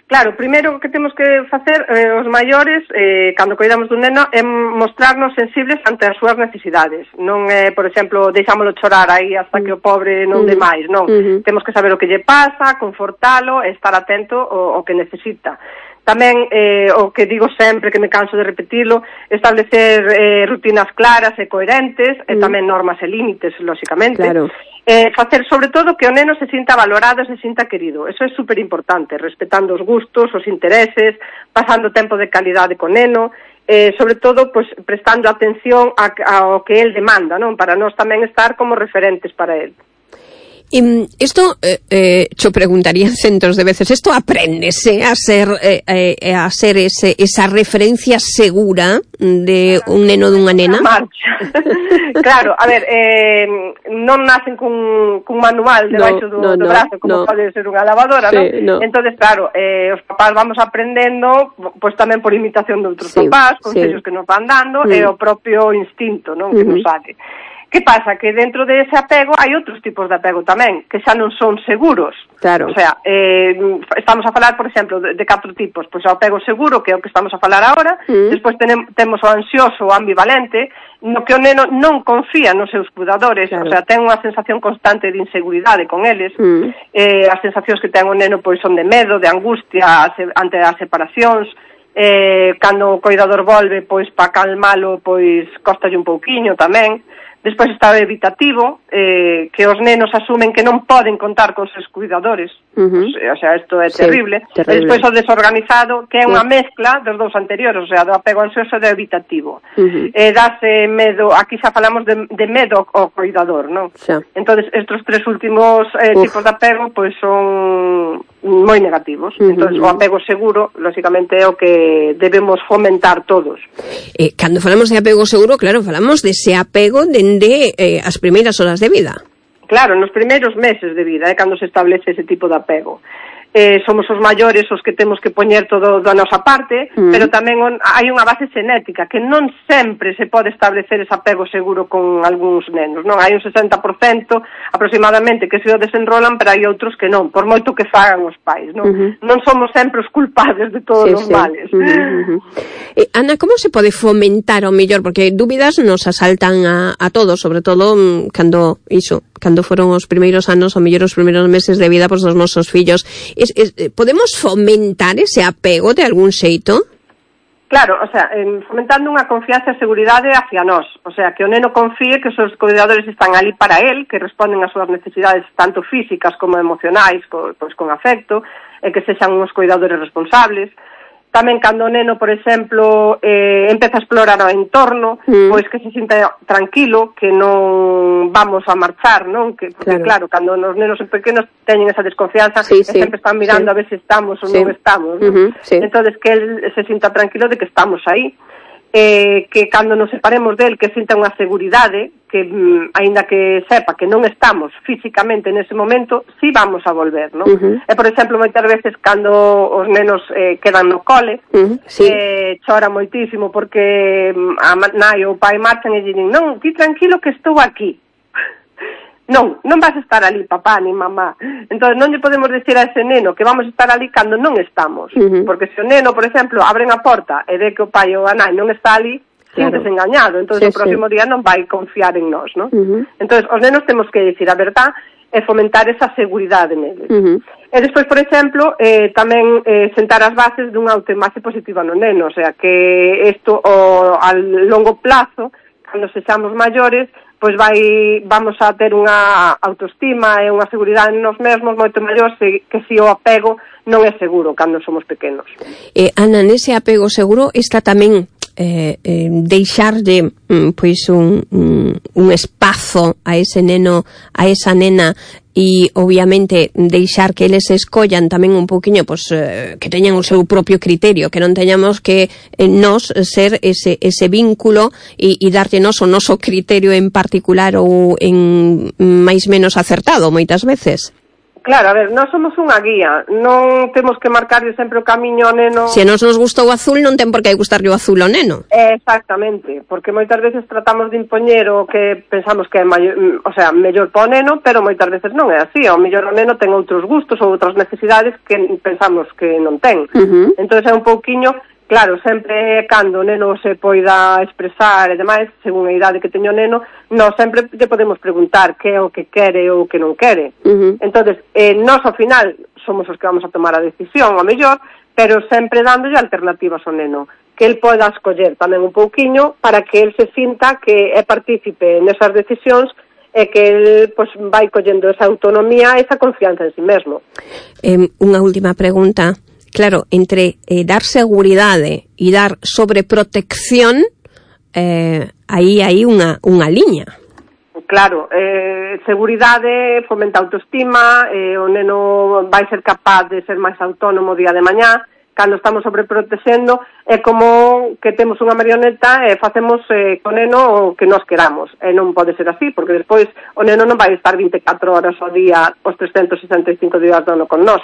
Claro, primeiro que temos que facer eh, os maiores, eh, cando coidamos dun neno, é mostrarnos sensibles ante as súas necesidades. Non é, por exemplo, deixámolo chorar aí hasta que o pobre non dé máis, non. Uh-huh. Temos que saber o que lle pasa, confortalo e estar atento ao, ao que necesita. Tamén, eh, o que digo sempre, que me canso de repetilo, establecer eh, rutinas claras e coherentes, mm. e tamén normas e límites, lóxicamente. Claro. Eh, facer, sobre todo, que o neno se sinta valorado e se sinta querido. Eso é super importante, respetando os gustos, os intereses, pasando tempo de calidade co neno, eh, sobre todo, pues, prestando atención a, ao que el demanda, non? Para nós tamén estar como referentes para el. Y esto, eh, eh, yo preguntaría centos de veces, ¿esto apréndese a ser eh, eh, a ser ese, esa referencia segura de un neno de unha nena? Claro, a ver, eh, non nacen cun, cun manual debaixo no, do, no, do brazo, como no. pode ser unha lavadora, sí, ¿no? no? Entonces, claro, eh, os papás vamos aprendendo, pues tamén por imitación de outros sí, papás, consellos sí. que nos van dando, mm. e o propio instinto, non? Que mm-hmm. nos saque. Que pasa? Que dentro de ese apego hai outros tipos de apego tamén, que xa non son seguros. Claro. O sea, eh, estamos a falar, por exemplo, de, de catro tipos. Pois o apego seguro, que é o que estamos a falar agora. Mm. Despois tenem, temos o ansioso ou ambivalente, no que o neno non confía nos seus cuidadores, claro. O sea, ten unha sensación constante de inseguridade con eles. Mm. Eh, as sensacións que ten o neno pois son de medo, de angustia ante as separacións. Eh, cando o coidador volve, pois para calmalo, pois costalle un pouquiño tamén. Despois está o evitativo, eh, que os nenos asumen que non poden contar con seus cuidadores. Uh-huh. O sea, isto é sí, terrible. terrible. E despois o desorganizado, que é unha mezcla dos dous anteriores, o sea, do apego ansioso e do evitativo. Uh-huh. Eh, dase medo, aquí xa falamos de, de medo ao cuidador, non? Sí. Entonces, estes tres últimos eh, tipos de apego, pois son moi negativos. Uh-huh. Entonces, o apego seguro, lógicamente, é o que debemos fomentar todos. Eh, cando falamos de apego seguro, claro, falamos de ese apego dende eh, as primeiras horas de vida. Claro, nos primeiros meses de vida é eh, cando se establece ese tipo de apego. Eh, somos os maiores os que temos que poñer todo da nosa parte, mm. pero tamén on, hai unha base xenética que non sempre se pode establecer ese apego seguro con algúns nenos, non? Hai un sesenta por cento aproximadamente que se o desenrolan, pero hai outros que non, por moito que fagan os pais, non? Uh-huh. Non somos sempre os culpables de todos sí, os sí. males. Uh-huh, uh-huh. Eh, Ana, como se pode fomentar ao mellor? Porque dúbidas nos asaltan a, a todos, sobre todo mm, cando iso, cando foron os primeiros anos, ou mellor os primeiros meses de vida pois, dos nosos fillos. Es, es, podemos fomentar ese apego de algún xeito? Claro, o sea, eh, fomentando unha confianza e seguridade hacia nós. O sea, que o neno confíe que os seus cuidadores están ali para él, que responden ás súas necesidades tanto físicas como emocionais, co, pois con afecto, e que sexan uns cuidadores responsables. Tamén cando o neno, por exemplo, eh, empeza a explorar o entorno, mm. pois que se sinta tranquilo, que non vamos a marchar, non? Que, porque, claro, claro cando os nenos pequenos teñen esa desconfianza, sí, sí, sempre están mirando sí. a ver se estamos ou sí. non estamos, non? Uh-huh, sí. Entonces, que él se sinta tranquilo de que estamos aí. Eh, que cando nos separemos del, que sinta unha seguridade, que mm, aínda que sepa que non estamos físicamente nese momento, si sí vamos a volver, non? Uh-huh. E, por exemplo, moitas veces cando os nenos eh, quedan no cole, uh-huh. sí. eh, chora moitísimo porque a nai ou o pai marchan e dicen, non, ti tranquilo que estou aquí. Non, non vas a estar ali, papá, ni mamá. Entón, non lle podemos decir a ese neno que vamos a estar ali cando non estamos. Uh-huh. Porque se o neno, por exemplo, abren a porta e ve que o pai ou a nai non está ali, claro. Síntese engañado. Entón, sí, o próximo sí. día non vai confiar en nós, non? Uh-huh. Entón, os nenos temos que dicir a verdad e fomentar esa seguridade neles. Uh-huh. E despois, por exemplo, eh, tamén eh, sentar as bases dunha autoimaxe positiva no neno. O sea, que isto o, a longo plazo, cando sexamos maiores, pois vai, vamos a ter unha autoestima e unha seguridade nos mesmos moito maior se, que se o apego non é seguro cando somos pequenos. Eh, Ana, nese apego seguro está tamén eh, eh, deixar de pois un, un, un espazo a ese neno, a esa nena e obviamente deixar que eles escollan tamén un pouquiño pois, eh, que teñan o seu propio criterio, que non teñamos que eh, nos ser ese, ese vínculo e, e darte nos o noso criterio en particular ou en máis menos acertado moitas veces. Claro, a ver, nós somos unha guía, non temos que marcarlle sempre o camiño ao neno. Se a nos nos gusta o azul, non ten por que gustarlle o azul ao neno. Exactamente, porque moitas veces tratamos de impoñer o que pensamos que é maior, o sea, mellor para o neno, pero moitas veces non é así. O mellor o neno ten outros gustos ou outras necesidades que pensamos que non ten. Uh-huh. Entón é un pouquiño... Claro, sempre cando o neno se poida expresar e demais, según a idade que teño o neno, nós sempre lle podemos preguntar que é o que quere ou o que non quere. Uh-huh. Entonces, eh, nós ao final somos os que vamos a tomar a decisión, ao mellor, pero sempre dándolle alternativas ao neno, que el poida escoller tamén un pouquiño para que el se sinta que é partícipe nesas decisións e que el pues, vai collendo esa autonomía e esa confianza en si mesmo. Eh, unha última pregunta. Claro, entre eh, dar seguridade e dar sobreprotección, eh, aí hai unha, unha liña. Claro, eh, seguridade fomenta autoestima, eh, o neno vai ser capaz de ser máis autónomo día de mañá. Cando estamos sobreprotexendo é como que temos unha marioneta e facemos eh, con neno o que nos queramos. E non pode ser así, porque despois o neno non vai estar vinte e catro horas ao día os trescentos sesenta e cinco días do ano con nós.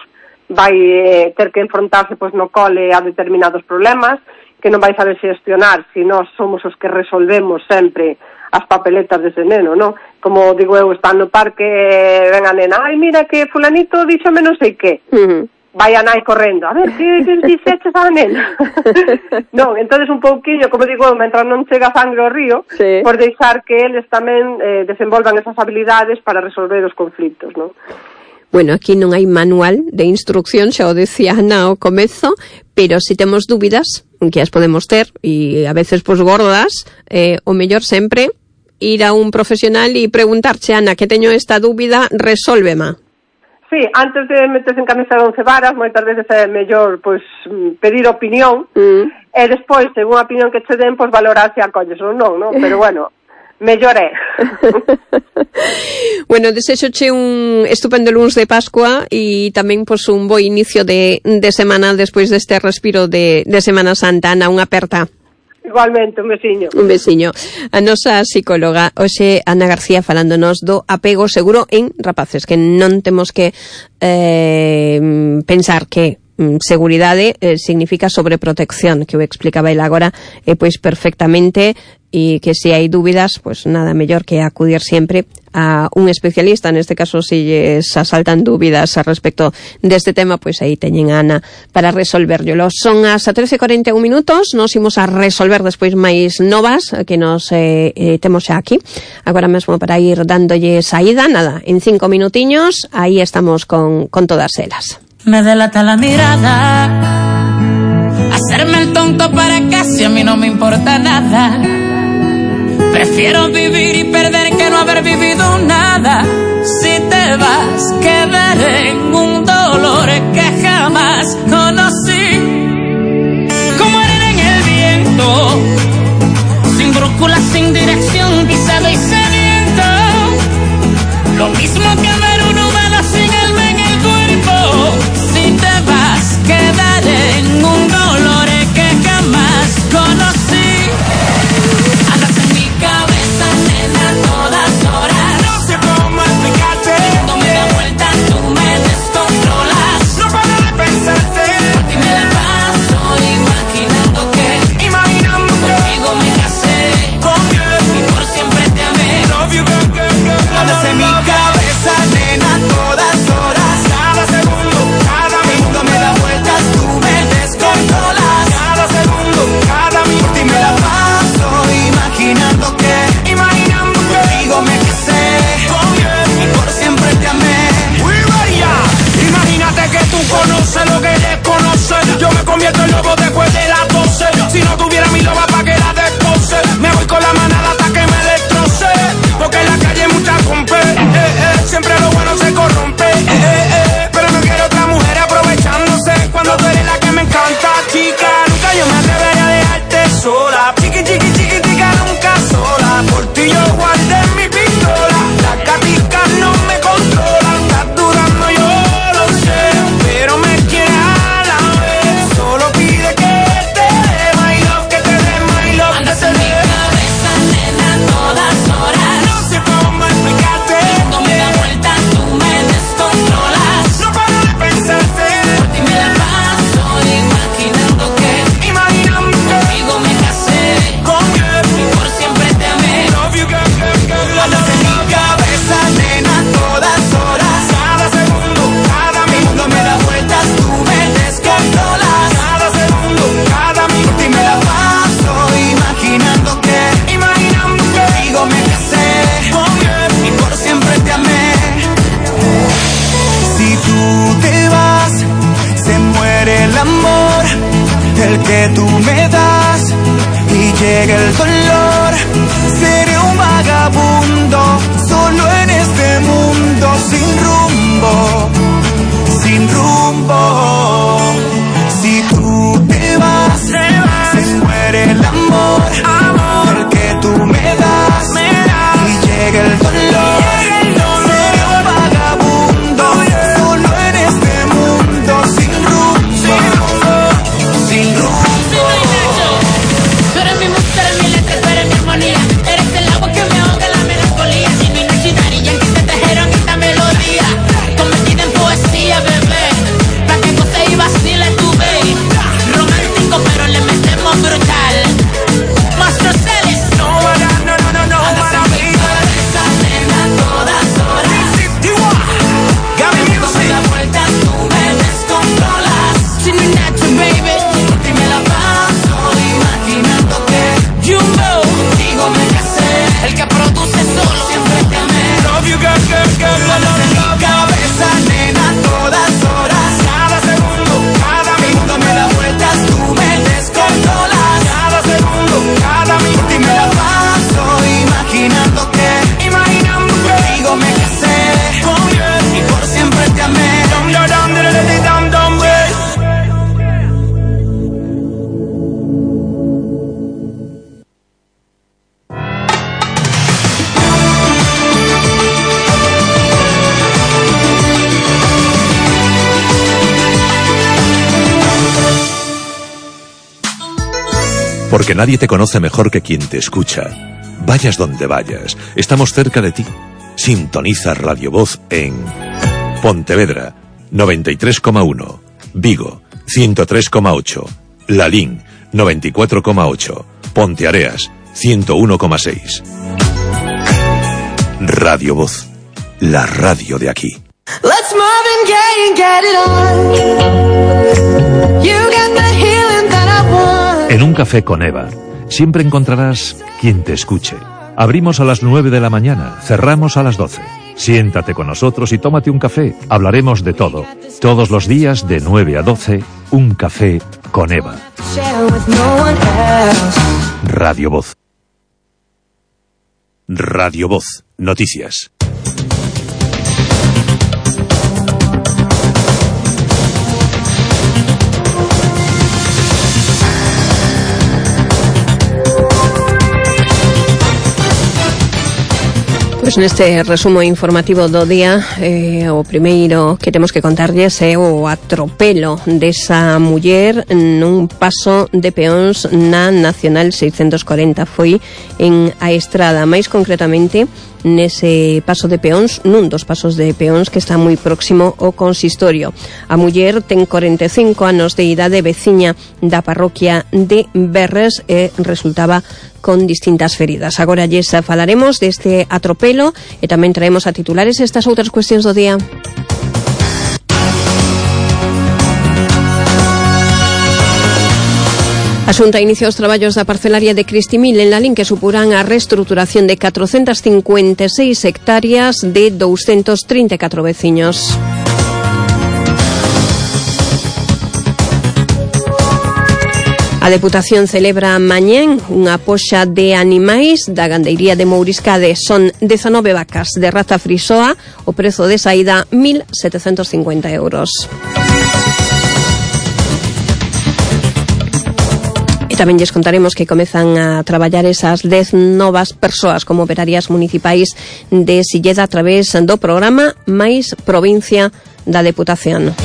Vai eh, ter que enfrontarse pois, no cole a determinados problemas, que non vai saber xestionar se nós somos os que resolvemos sempre as papeletas dese neno, non? Como digo eu, está no parque, ven a nena, ai, mira que fulanito díxome non sei que. Uh-huh. Vai a nai correndo, a ver, que, que dixeches a nena? Non, entonces un pouquiño, como digo, mentras non chega sangre ao río, sí. Por deixar que eles tamén eh, desenvolvan esas habilidades para resolver os conflitos, non? Bueno, aquí non hai manual de instrucción, xa o decía Ana ao comezo, pero se si temos dúbidas, que as podemos ter, e a veces pues gordas, eh, o mellor sempre ir a un profesional e preguntarche, Ana, que teño esta dúbida, resólvema. Sí, antes de meterse en camisa de once varas, moitas veces é mellor pois, pedir opinión, mm. e despois, según a opinión que che den, pois valorar se acolles ou non, non? Pero bueno, mellor é. Bueno, desexoche un estupendo luns de Pascua e tamén pois, un bo inicio de, de semana despois deste respiro de, de Semana Santa. Ana, unha aperta. Igualmente, un besiño. Un besiño. A nosa psicóloga, hoxe Ana García, falándonos do apego seguro en rapaces, que non temos que eh, pensar que seguridade eh, significa sobreprotección, que o explicaba el agora eh, pois perfectamente, e que se hai dúbidas, pois nada mellor que acudir sempre a un especialista, neste caso se lles asaltan dúbidas a respecto deste tema, pois aí teñen a Ana para resolverlo. Son as trece e cuarenta e un minutos, nos imos a resolver despois máis novas que nos eh, eh, temos xa aquí, agora mesmo para ir dándolle saída, nada, en cinco minutiños, aí estamos con, con todas elas. Me delata la mirada, hacerme el tonto para casi a mí no me importa nada. Prefiero vivir y perder que no haber vivido nada. Si te vas, quedaré en un dolor que jamás conocí. Como arena en el viento, sin brújula, sin dirección, pisado y sediento. Lo mismo que ver un humano sin alma en el cuerpo. Si te vas, quedaré en un dolor que jamás conocí. Andas en mi cabeza, nena, a todas horas. No sé cómo explicarte. Cuando me da vuelta, tú me descontrolas. No paro de pensarte. Por ti me la paso imaginando que, imaginando que contigo me casé. Conmigo y por siempre te amé. Love you, girl, girl, girl. Andas en mi cabeza, nena, a todas horas. Cada segundo, cada minuto me da vueltas, tú me descontrolas. Cada segundo, cada minuto por ti me la paso imaginando que, imaginando que contigo me casé. Oh, yeah. Y por siempre te amé. Uy, vaya. Imagínate que tú conoces lo que desconoces. Yo me convierto en lobo después de las doce. Si no tuviera mi loba pa' que la descoce, me voy con la manada hasta que me destroce. Porque en la calle hay mucha compe, eh, eh. Siempre lo bueno se corrompe, eh, eh, eh. Pero no quiero otra mujer aprovechándose cuando tú eres la que me encanta, chica. Nunca yo me atrevería a dejarte sola. Chiqui, chiqui, chiqui, chica, nunca sola. Por ti yo guardé mi pistola. Las gaticas no me controlan. Estás dudando, yo lo sé, pero me quieres a la vez. Solo pide que te dé my love, que te dé my love. Andas en mi cabeza, nena, a todas horas. No sé cómo explicarte. Cuando me da vuelta, tú me descontrolas. No paro de pensarte. Por ti me la paso imaginando que, imaginando que contigo me casé. Conmigo y por siempre te amé. Love you, girl, girl, girl. Andas en mi cabeza, nena, a todas horas. Cada segundo, cada minuto me da vueltas, tú me descontrolas. Cada segundo, cada minuto por ti me la paso imaginando que, imaginando que contigo me casé. Conmigo y por siempre te amé. Si tú te vas, se muere el amor, el que tú me das, y llega el dolor. Seré un vagabundo, solo en este mundo, sin rumbo, sin rumbo. Si tú te vas, se muere el amor, el que tú me das, y llega el dolor. Seré un vagabundo, solo en este mundo, sin rumbo, sin rumbo. Tú eres mi música, eres mi letra, tú eres mi armonía. Eres el agua que me ahoga la melancolía. Si no hay noche y Daddy Yankee te trajeron esta melodía, convertida en poesía, bebé. Pa' que Porque nadie te conoce mejor que quien te escucha. Vayas donde vayas, estamos cerca de ti. Sintoniza Radio Voz en Pontevedra, noventa y tres coma uno, Vigo, ciento tres coma ocho, Lalín, noventa y cuatro coma ocho, Ponteareas, ciento uno coma seis. Radio Voz, la radio de aquí. Let's Marvin Gaye and get it on. You got the healing that I want. En Un Café con Eva, siempre encontrarás quien te escuche. Abrimos a las nueve de la mañana, cerramos a las doce. Siéntate con nosotros y tómate un café. Hablaremos de todo. Todos los días de nueve a doce, Un Café con Eva. Radio Voz. Radio Voz. Noticias. Pois neste resumo informativo do día, eh, o primeiro que temos que contarlles é o atropelo desa muller nun paso de peóns na Nacional seiscentos corenta. Foi en a Estrada, máis concretamente nese paso de peóns, nun dos pasos de peóns que está moi próximo ao consistorio. A muller ten corenta e cinco anos de idade, veciña da parroquia de Berres, e resultaba con distintas feridas. Agora lles falaremos deste atropelo e tamén traemos a titulares estas outras cuestións do día. A Xunta inicia os traballos da parcelaria de Cristimil en Lalín, que suporán a reestruturación de catrocentas cincuenta e seis hectáreas de doscientos trinta e catro veciños. A Deputación celebra mañén unha poxa de animais da gandeiría de Mouriscade. Son dezanove vacas de raza frisoa, o prezo de saída mil setecentos cincuenta euros. Tamén lles contaremos que comezan a traballar esas dez novas persoas como operarias municipais de Silleda a través do programa Mais Provincia da Deputación.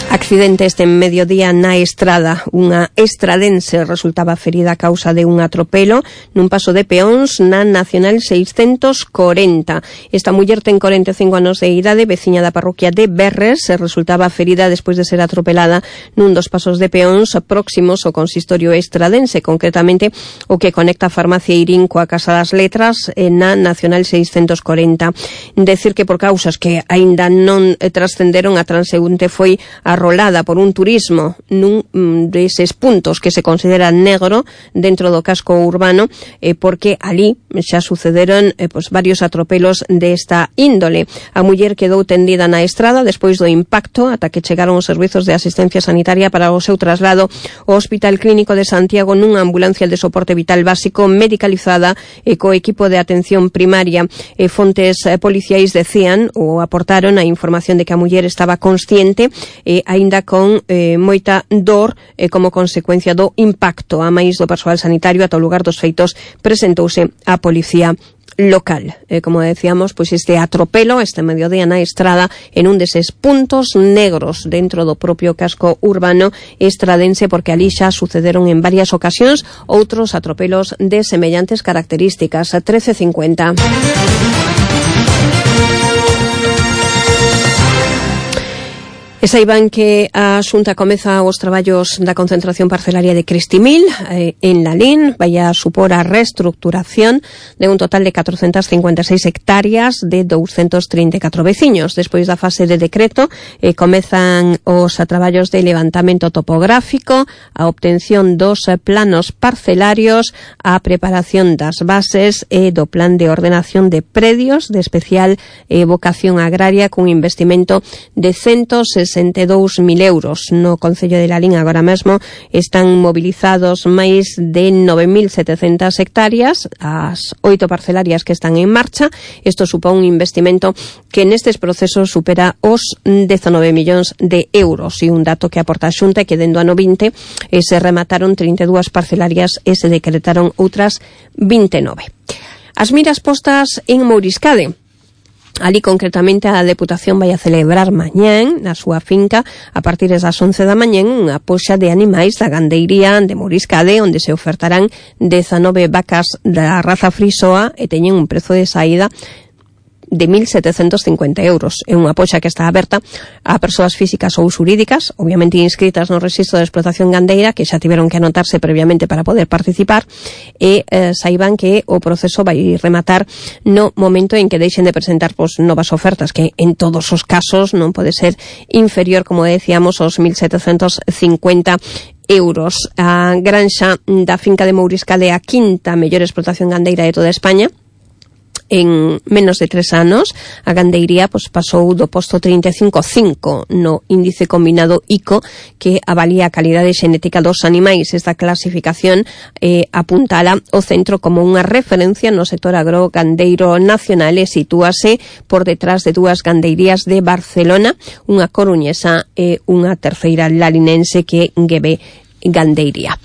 Accidente este mediodía na Estrada. Unha estradense resultaba ferida a causa de un atropelo nun paso de peóns na Nacional seiscentos corenta. Esta muller ten corenta e cinco anos de idade, veciña da parroquia de Berres, e resultaba ferida despois de ser atropelada nun dos pasos de peóns próximos ao consistorio estradense, concretamente o que conecta a farmacia Irín coa Casa das Letras na Nacional seiscentos corenta. Decir que por causas que aínda non trascenderon, a transeúnte foi arrolada por un turismo nun deses puntos que se considera negro dentro do casco urbano, eh, porque ali xa sucederon eh, pues, varios atropelos desta índole. A muller quedou tendida na estrada despois do impacto ata que chegaron os servizos de asistencia sanitaria para o seu traslado ao Hospital Clínico de Santiago nunha ambulancia de soporte vital básico medicalizada e co equipo de atención primaria. E fontes eh, policiais decían ou aportaron a información de que a muller estaba consciente e a aínda con eh, moita dor eh, como consecuencia do impacto. A máis do persoal sanitario, ata o lugar dos feitos presentouse a policía local. Eh, como decíamos, pois este atropelo este mediodía na Estrada en un deses puntos negros dentro do propio casco urbano estradense, porque ali xa sucederon en varias ocasións outros atropelos de semellantes características. trece cincuenta. E saiban que a Xunta comeza os traballos da concentración parcelaria de Cristimil eh, en Lalín. Vai a supor a reestructuración de un total de catrocentas cincuenta e seis hectáreas de doscientos trinta e catro veciños. Despois da fase de decreto eh, comezan os traballos de levantamento topográfico, a obtención dos eh, planos parcelarios, a preparación das bases e do plan de ordenación de predios de especial eh, vocación agraria cun investimento de ciento sesenta e dous mil euros. No Concello de Lalín agora mesmo están movilizados máis de nove mil setecentas hectáreas, as oito parcelarias que están en marcha. Isto supón un investimento que nestes procesos supera os dezanove millóns de euros, e un dato que aporta a Xunta é que dentro do ano vinte eh, se remataron trinta e dúas parcelarias e se decretaron outras vinte e nove. As miras postas en Mouriscade. Ali, concretamente, a Deputación vai a celebrar mañán na súa finca a partir das once da mañán unha poxa de animais da gandeiría de Mouriscade, onde se ofertarán dezanove vacas da raza frisoa e teñen un prezo de saída de mil setecentos cincuenta euros. É unha poxa que está aberta a persoas físicas ou xurídicas, obviamente inscritas no Rexistro de Explotación Gandeira, que xa tiveron que anotarse previamente para poder participar, e eh, saiban que o proceso vai rematar no momento en que deixen de presentar pues, novas ofertas, que en todos os casos non pode ser inferior, como decíamos, aos mil setecentos cincuenta euros. A granxa da finca de Mouriscade é a quinta mellor explotación gandeira de toda España. En menos de tres anos, a gandeiría pues, pasou do posto trinta e cinco a cinco no índice combinado I C O, que avalía a calidade xenética dos animais. Esta clasificación eh, apuntala o centro como unha referencia no sector agrogandeiro nacional e sitúase por detrás de dúas gandeirías de Barcelona, unha coruñesa e unha terceira lalinense, que é Guebe Gandeiría.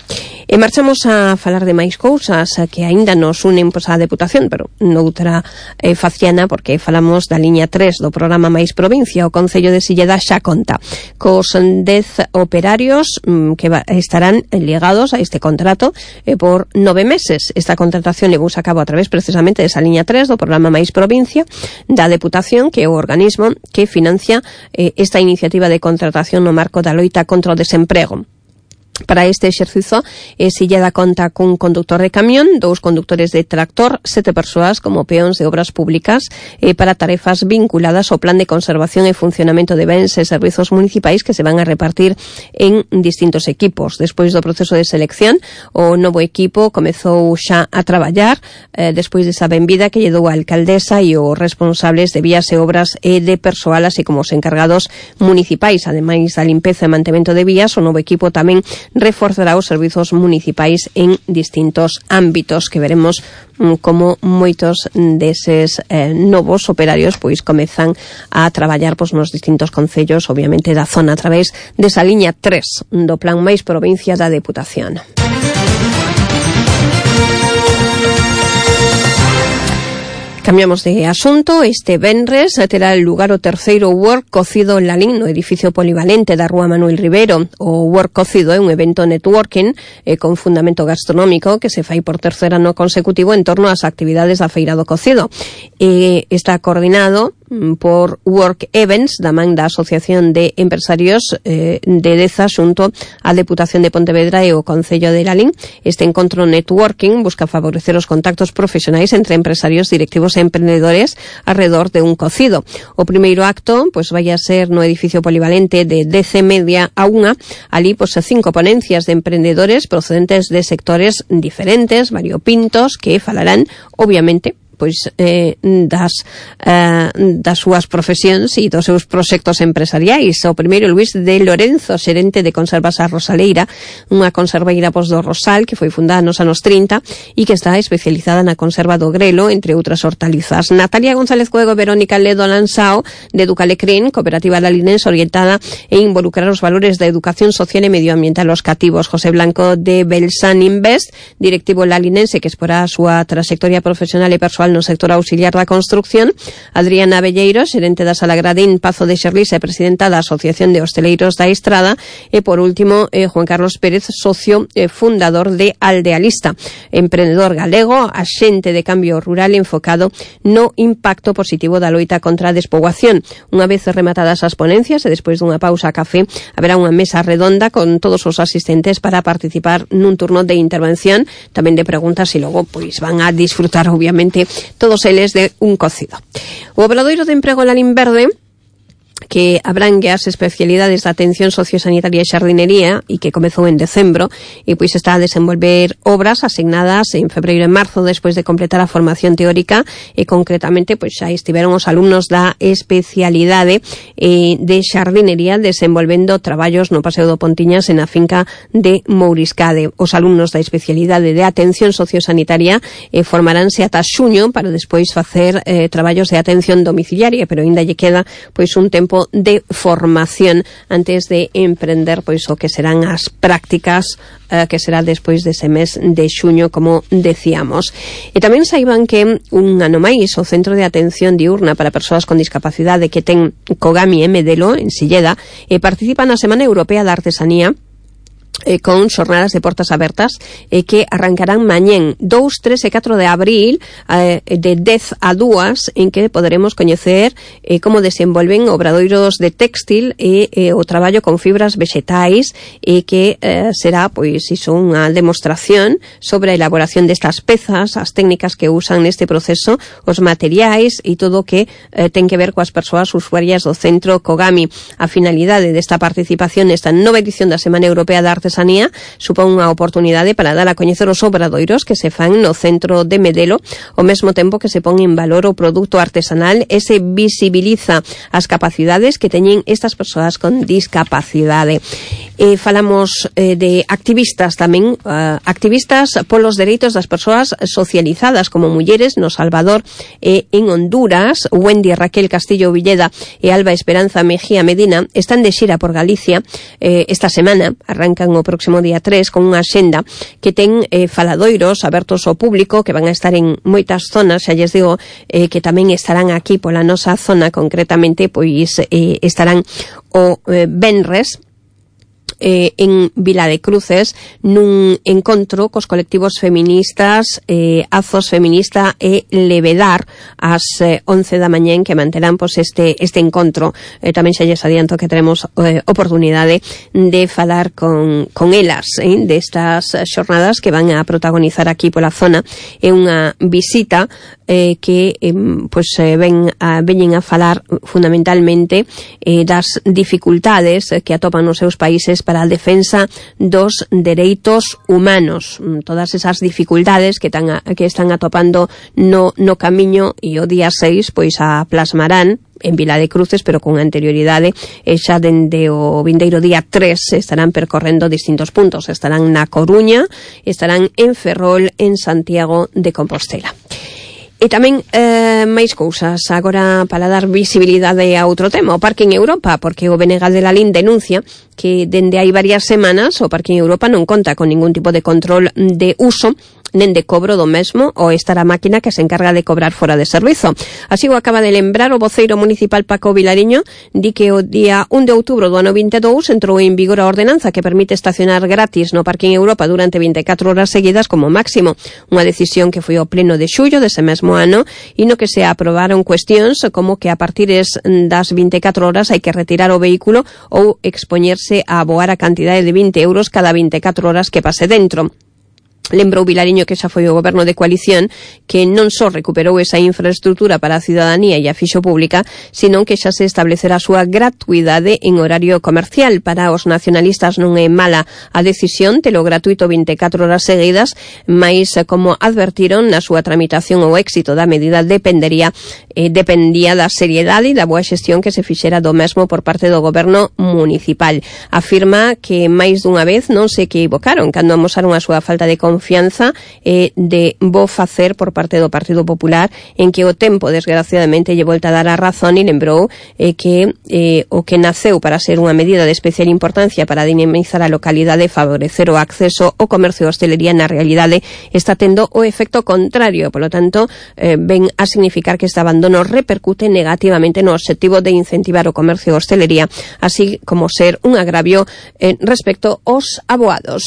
E marchamos a falar de máis cousas que aínda nos unen pois, á Deputación, pero noutra eh, faciana, porque falamos da liña tres do programa Máis Provincia. O Concello de Silleda xa conta cos dez operarios mm, que va, estarán ligados a este contrato eh, por nove meses. Esta contratación levouse a cabo a través precisamente desa liña tres do programa Máis Provincia da Deputación, que é o organismo que financia eh, esta iniciativa de contratación no marco da loita contra o desemprego. Para este exercizo, eh, Silleda conta cun conductor de camión, dous conductores de tractor, sete persoas como peóns de obras públicas eh, para tarefas vinculadas ao plan de conservación e funcionamento de bens e servizos municipais que se van a repartir en distintos equipos. Despois do proceso de selección, o novo equipo comezou xa a traballar eh, despois desa benvida que lle dou a alcaldesa e os responsables de vías e obras e de persoal, así como os encargados municipais. Ademais da limpeza e mantemento de vías, o novo equipo tamén reforzará os servizos municipais en distintos ámbitos, que veremos mm, como moitos deses eh, novos operarios pois comezan a traballar pois, nos distintos concellos, obviamente da zona, a través desa liña tres do Plan Máis Provincia da Deputación. Cambiamos de asunto. Este venres terá lugar o terceiro Work Cocido en Lalín, no edificio polivalente da Rúa Manuel Rivero. O Work Cocido é un evento networking eh, con fundamento gastronómico que se fai por tercer ano consecutivo en torno ás actividades da Feira do Cocido. Eh, está coordinado por Work Events da man da Asociación de Empresarios eh, de Deza xunto á Deputación de Pontevedra e o Concello de Lalín. Este encontro networking busca favorecer os contactos profesionais entre empresarios, directivos e emprendedores alrededor de un cocido. O primeiro acto pois vai a ser no edificio polivalente de dez e media a unha. Ali pois cinco ponencias de emprendedores procedentes de sectores diferentes, variopintos, que falarán obviamente pois eh, das eh, das súas profesións e dos seus proxectos empresariais. O primeiro, Luís de Lorenzo, xerente de Conservas a Rosaleira, unha conserveira pos do Rosal que foi fundada nos anos trinta e que está especializada na conserva do grelo, entre outras hortalizas. Natalia González Cuego e Verónica Ledo Lansao, de Educalecrín, cooperativa lalinense orientada e involucrar os valores da educación social e medioambiental aos cativos. José Blanco de Belsan Invest, directivo lalinense que exporá a súa trayectoria profesional e persoal no sector auxiliar da construcción. Adriana Belleiro, xerente da Sala Gradín Pazo de Xerlis e presidenta da Asociación de Hosteleiros da Estrada. E por último, eh, Juan Carlos Pérez, socio eh, fundador de Aldealista, emprendedor galego, axente de cambio rural enfocado no impacto positivo da loita contra a despoboación. Unha vez rematadas as ponencias e despois dunha pausa a café, haberá unha mesa redonda con todos os asistentes para participar nun turno de intervención, tamén de preguntas, e logo pois van a disfrutar obviamente todos eles de un cocido. O Obradoiro de Emprego Lalín Verde, que abrangue as especialidades da atención sociosanitaria e xardinería e que comezou en decembro e pois está a desenvolver obras asignadas en febreiro e marzo despois de completar a formación teórica e concretamente pois xa estiveron os alumnos da especialidade eh, de xardinería desenvolvendo traballos no Paseo do Pontiñas en a finca de Mouriscade. Os alumnos da especialidade de atención sociosanitaria eh, formaránse ata xuño para despois facer eh, traballos de atención domiciliaria, pero ainda lle queda pois un tempo periodo de formación antes de emprender pois o que serán as prácticas eh, que será despois dese mes de xuño, como decíamos. E tamén saiban que un ano máis o Centro de Atención Diurna para Persoas con Discapacidade que ten Kogami e Medelo en Silleda e participa na Semana Europea da Artesanía Eh, con xornadas de portas abertas eh, que arrancarán mañén dous, tres e catro de abril eh, de dez a dúas, en que poderemos coñecer eh, como desenvolven obradoiros de textil e eh, o traballo con fibras vegetais e que eh, será pois iso unha demostración sobre a elaboración destas pezas, as técnicas que usan neste proceso, os materiais e todo o que eh, ten que ver coas persoas usuarias do Centro Kogami. A finalidade desta participación nesta nova edición da Semana Europea da Artesanía supón unha oportunidade para dar a coñecer os obradoiros que se fan no centro de Medelo, ao mesmo tempo que se pon en valor o produto artesanal e se visibiliza as capacidades que teñen estas persoas con discapacidade. E falamos eh, de activistas tamén, uh, activistas polos dereitos das persoas socializadas como mulleres no Salvador e en Honduras. Wendy Raquel Castillo Villeda e Alba Esperanza Mejía Medina están de xira por Galicia eh, esta semana, arrancan o próximo día tres con unha axenda que ten eh, faladoiros abertos ao público que van a estar en moitas zonas. Xa lles digo eh, que tamén estarán aquí pola nosa zona, concretamente pois eh, estarán o eh, venres Eh, en Vila de Cruces nun encontro cos colectivos feministas eh, Azos Feminista e Levedar ás eh, once da mañén, que manterán pois, este, este encontro. Eh, tamén xa lles adianto que teremos eh, oportunidade de falar con, con elas eh, destas xornadas que van a protagonizar aquí pola zona. É unha visita eh, que eh, pois, eh, ven a, veñen a falar fundamentalmente eh, das dificultades que atopan nos seus países para a defensa dos dereitos humanos, todas esas dificultades que, tan a, que están atopando no, no camiño, e o día seis pois a plasmarán en Vila de Cruces, pero con anterioridade, e xa dende o vindeiro día tres estarán percorrendo distintos puntos. Estarán na Coruña, estarán en Ferrol, en Santiago de Compostela. E tamén eh, máis cousas agora para dar visibilidade a outro tema, o Parking Europa, porque o Benegal de Lalín denuncia que dende hai varias semanas o Parking Europa non conta con ningún tipo de control de uso nen de cobro do mesmo, ou estar a máquina que se encarga de cobrar fora de servizo. Así o acaba de lembrar o voceiro municipal Paco Vilariño, di que o día un de outubro do ano vinte e dous entrou en vigor a ordenanza que permite estacionar gratis no Parking Europa durante vinte e catro horas seguidas como máximo, unha decisión que foi ao pleno de xullo dese mesmo ano, e no que se aprobaron cuestións como que a partir das vinte e catro horas hai que retirar o vehículo ou expoñerse a aboar a cantidade de vinte euros cada vinte e catro horas que pase dentro. Lembrou Vilariño que xa foi o goberno de coalición que non só recuperou esa infraestructura para a cidadanía e a fixo pública, sino que xa se establecerá a súa gratuidade en horario comercial. Para os nacionalistas non é mala a decisión telo gratuito vinte e catro horas seguidas, mais como advertiron na súa tramitación o éxito da medida dependería eh, dependía da seriedade e da boa xestión que se fixera do mesmo por parte do goberno municipal. Afirma que máis dunha vez non se equivocaron cando amosaron a súa falta de confianza confianza eh, de bo facer por parte do Partido Popular, en que o tempo desgraciadamente lle volta a dar a razón, e lembrou eh, que eh, o que naceu para ser unha medida de especial importancia para dinamizar a localidade e favorecer o acceso ao comercio e hostelería, na realidade está tendo o efecto contrario. Por lo tanto, eh, ven a significar que este abandono repercute negativamente no obxectivo de incentivar o comercio e hostelería, así como ser un agravio eh, respecto aos aboados.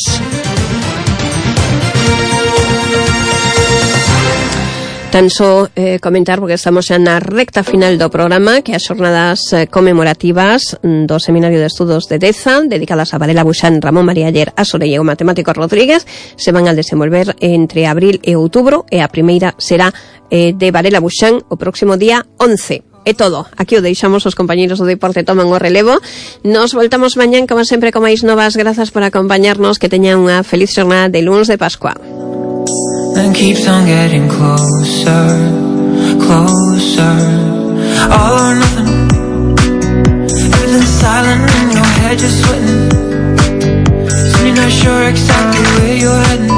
Tan só eh, comentar, porque estamos xa na recta final do programa, que as xornadas eh, conmemorativas do Seminario de Estudos de Deza, dedicadas a Varela Buxán, Ramón María Aller, Asore e o matemático Rodríguez, se van a desenvolver entre abril e outubro, e a primeira será eh, de Varela Buxán o próximo día once. É todo. Aquí o deixamos, os compañeiros do deporte toman o relevo. Nos voltamos mañán, como sempre, con máis novas. Grazas por acompañarnos, que teñan unha feliz jornada de luns de Pascua. And keeps on getting closer, closer. All or nothing. Everything's silent in your head, just sweating. So you're not sure exactly where you're heading.